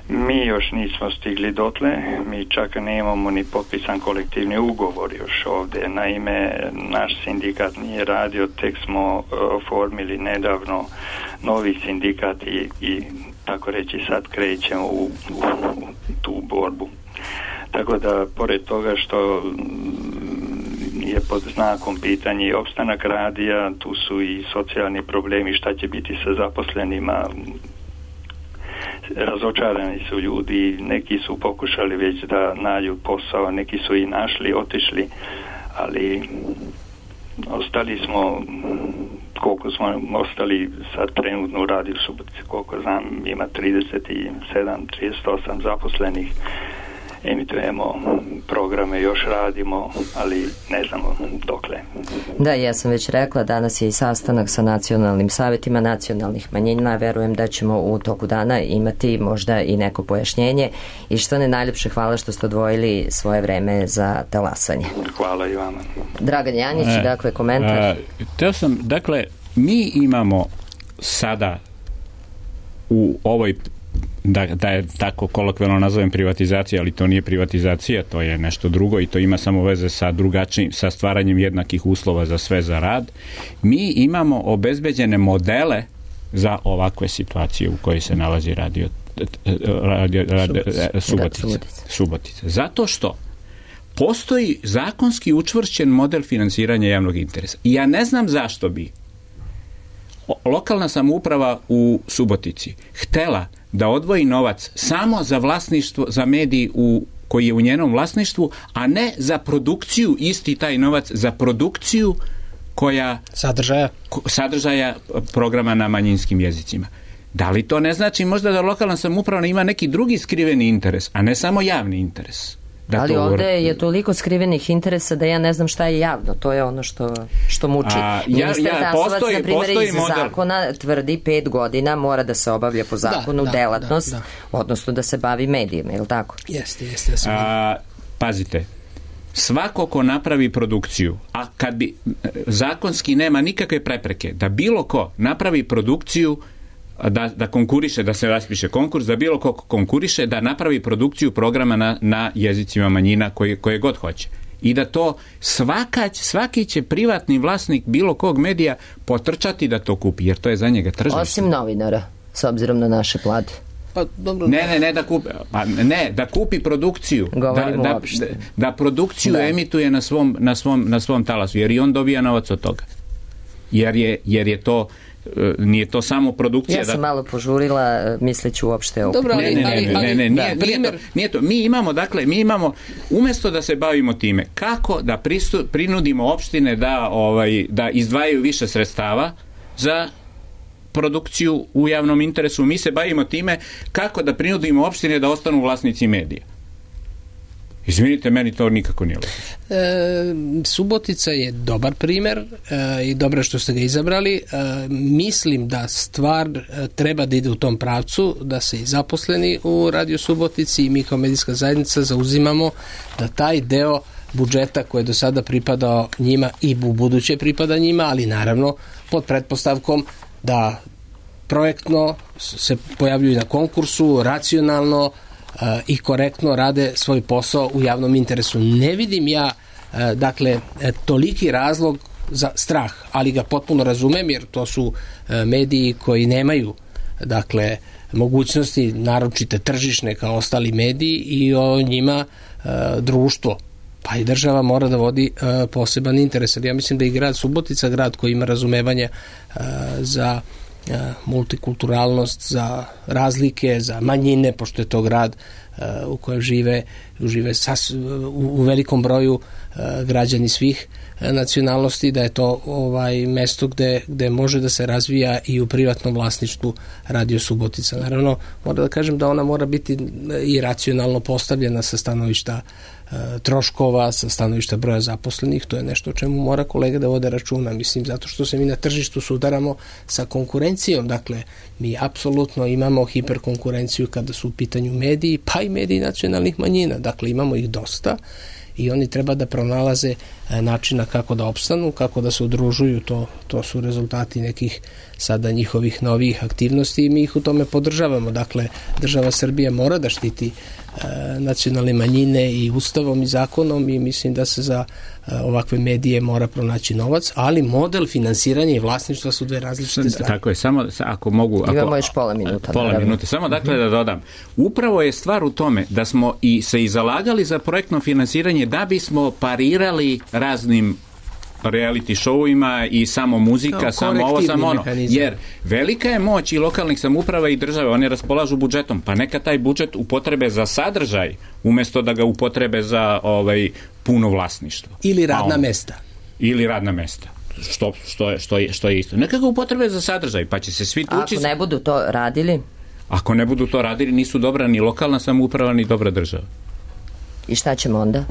Mi još nismo stigli dotle, mi čak nemamo ni potpisan kolektivni ugovor još ovdje. Naime, naš sindikat nije radio, tek smo oformili nedavno novi sindikat i, i tako reći sad krećemo u, u, u tu borbu. Tako da, pored toga što je pod znakom pitanja i opstanak radija, tu su i socijalni problemi, šta će biti sa zaposlenima. Razočarani su ljudi, neki su pokušali već da nađu posao, neki su i našli, otišli, ali ostali smo, koliko smo ostali sad trenutno u Radio Subotici, koliko znam, ima trideset sedam, trideset osam zaposlenih emitujemo programe, još radimo, ali ne znamo dokle. Da, ja sam već rekla, danas je i sastanak sa nacionalnim savjetima nacionalnih manjina, verujem da ćemo u toku dana imati možda i neko pojašnjenje i što ne najljepše hvala što ste odvojili svoje vreme za talasanje. Hvala i vama. Dragan Janjić, e, dakle, komentar. A, teo sam, dakle, mi imamo sada u ovoj, da, da je tako kolokvijalno nazovem privatizacija, ali to nije privatizacija, to je nešto drugo i to ima samo veze sa drugačijim, sa stvaranjem jednakih uslova za sve za rad. Mi imamo obezbeđene modele za ovakve situacije u kojoj se nalazi radio, radio, radio Subotica. Subotica. Zato što postoji zakonski učvršćen model finansiranja javnog interesa. I ja ne znam zašto bi lokalna samouprava u Subotici htela da odvoji novac samo za vlasništvo, za medij u, koji je u njenom vlasništvu, a ne za produkciju, isti taj novac za produkciju koja sadržaja, sadržaja programa na manjinskim jezicima. Da li to ne znači možda da lokalna samouprava ima neki drugi skriveni interes, a ne samo javni interes? Da ali to... ovde je toliko skrivenih interesa da ja ne znam šta je javno. To je ono što, što muči. A, Ministar ja, ja, Tasovac, na primjer, iz model. zakona tvrdi pet godina mora da se obavlja po zakonu da, delatnost, da, da, da. odnosno da se bavi medijima, je li tako? Jeste, jeste. A, pazite, svako ko napravi produkciju, a kad bi zakonski nema nikakve prepreke da bilo ko napravi produkciju, Da, da konkuriše, da se raspiše konkurs, da bilo ko konkuriše, da napravi produkciju programa na, na jezicima manjina koje, koje god hoće. I da to svaka, svaki će privatni vlasnik bilo kog medija potrčati da to kupi, jer to je za njega tržište. Osim novinara, s obzirom na naše plate. Pa, dobro. Ne, ne, ne da kupi, pa ne, da kupi produkciju. Da, da, da, da produkciju da. emituje na svom, na, svom, na svom talasu, jer i on dobija novac od toga. Jer je, jer je to nije to samo produkcija. Ja sam da... malo požurila, misleći uopšte o... Dobro, ali, ne, ne, ne, ne, ne, nije, nije, to, nije to. Mi imamo, dakle, mi imamo, umjesto da se bavimo time, kako da pristu, prinudimo opštine da, ovaj, da izdvajaju više sredstava za produkciju u javnom interesu, mi se bavimo time kako da prinudimo opštine da ostanu vlasnici medija. Izvinite, meni to nikako nije logično. E, Subotica je dobar primer e, i dobro što ste ga izabrali. E, mislim da stvar e, treba da ide u tom pravcu, da se i zaposleni u Radio Subotici i mi kao medijska zajednica zauzimamo da taj deo budžeta koji je do sada pripadao njima i u buduće pripada njima, ali naravno pod pretpostavkom da projektno se pojavljuju na konkursu, racionalno i korektno rade svoj posao u javnom interesu. Ne vidim ja dakle toliki razlog za strah, ali ga potpuno razumem, jer to su mediji koji nemaju dakle mogućnosti naročite tržišne kao ostali mediji i o njima društvo pa i država mora da vodi poseban interes. Ja mislim da i grad Subotica, grad koji ima razumevanje za multikulturalnost, za razlike, za manjine, pošto je to grad uh, u kojem žive, žive sas, u, u velikom broju uh, građani svih uh, nacionalnosti, da je to ovaj mesto gde, gde može da se razvija i u privatnom vlasništvu Radio Subotica. Naravno, moram da kažem da ona mora biti i racionalno postavljena sa stanovišta troškova, sa stanovišta broja zaposlenih. To je nešto o čemu mora kolega da vode računa. Mislim, zato što se mi na tržištu sudaramo sa konkurencijom. Dakle, mi apsolutno imamo hiperkonkurenciju kada su u pitanju mediji, pa i mediji nacionalnih manjina. Dakle, imamo ih dosta i oni treba da pronalaze načina kako da opstanu, kako da se udružuju. To, to su rezultati nekih sada njihovih novih aktivnosti i mi ih u tome podržavamo. Dakle, država Srbija mora da štiti nacionalne manjine i ustavom i zakonom i mislim da se za ovakve medije mora pronaći novac, ali model finansiranja i vlasništva su dve različite stvari. Tako je, samo ako mogu... Ako, imamo još pola minuta. Pola minuta, samo dakle da dodam. Upravo je stvar u tome da smo i se i zalagali za projektno finansiranje da bismo parirali raznim reality showima i samo muzika, no, samo ovo, samo ono. Mehanizam. Jer velika je moć i lokalnih samouprava i države, one raspolažu budžetom, pa neka taj budžet upotrebe za sadržaj, umjesto da ga upotrebe za ovaj puno vlasništvo. Ili radna on, mesta. Ili radna mesta. Što, što, je, što, je, što je isto. Neka ga upotrebe za sadržaj, pa će se svi tući... Ako ne budu to radili? Ako ne budu to radili, nisu dobra ni lokalna samouprava, ni dobra država. I šta ćemo onda?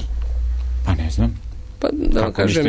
Pa ne znam. Pa da vam kažem,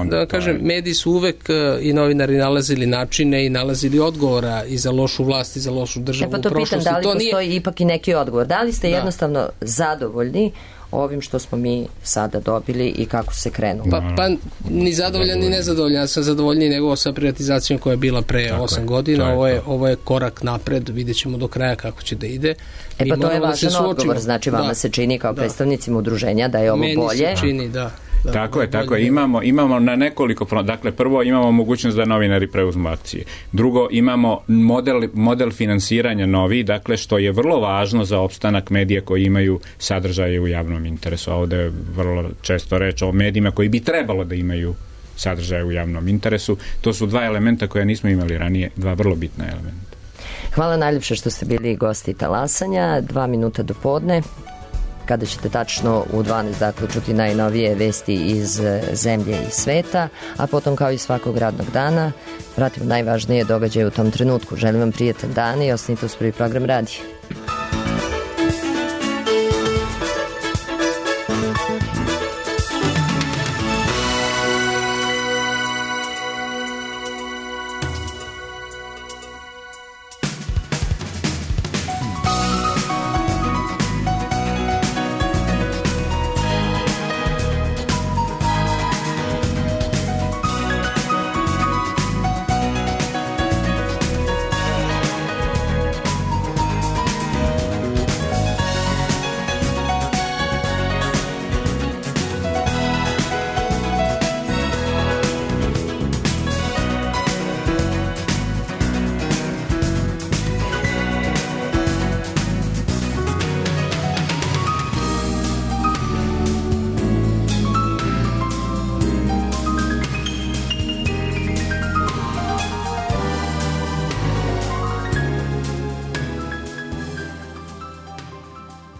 da vam kažem mediji su uvek i novinari nalazili načine i nalazili odgovora i za lošu vlast i za lošu državu e pa to u prošlosti. Pitam, da li to postoji nije... ipak i neki odgovor? Da li ste da. jednostavno zadovoljni ovim što smo mi sada dobili i kako se krenulo? Pa, pa ni zadovoljan ni nezadovoljan. Ja sam zadovoljniji nego sa privatizacijom koja je bila pre osam godina. Ovo je, ovo je korak napred. Vidjet ćemo do kraja kako će da ide. E pa to je važan odgovor. Znači vama da. se čini kao da. predstavnicima udruženja da je ovo Meni bolje. Meni se čini, da. Da, tako je, tako je. Imamo, imamo na nekoliko fronta. Dakle, prvo imamo mogućnost da novinari preuzmu akcije. Drugo, imamo model, model finansiranja novi, dakle, što je vrlo važno za opstanak medija koji imaju sadržaje u javnom interesu. Ovde je vrlo često reč o medijima koji bi trebalo da imaju sadržaje u javnom interesu. To su dva elementa koje nismo imali ranije, dva vrlo bitna elementa. Hvala najljepše što ste bili gosti Talasanja. Dva minuta do podne, kada ćete tačno u dvanaest dakle čuti najnovije vesti iz zemlje i sveta, a potom kao i svakog radnog dana pratimo najvažnije događaje u tom trenutku. Želim vam prijatan dan i ostanite uz Prvi program radija.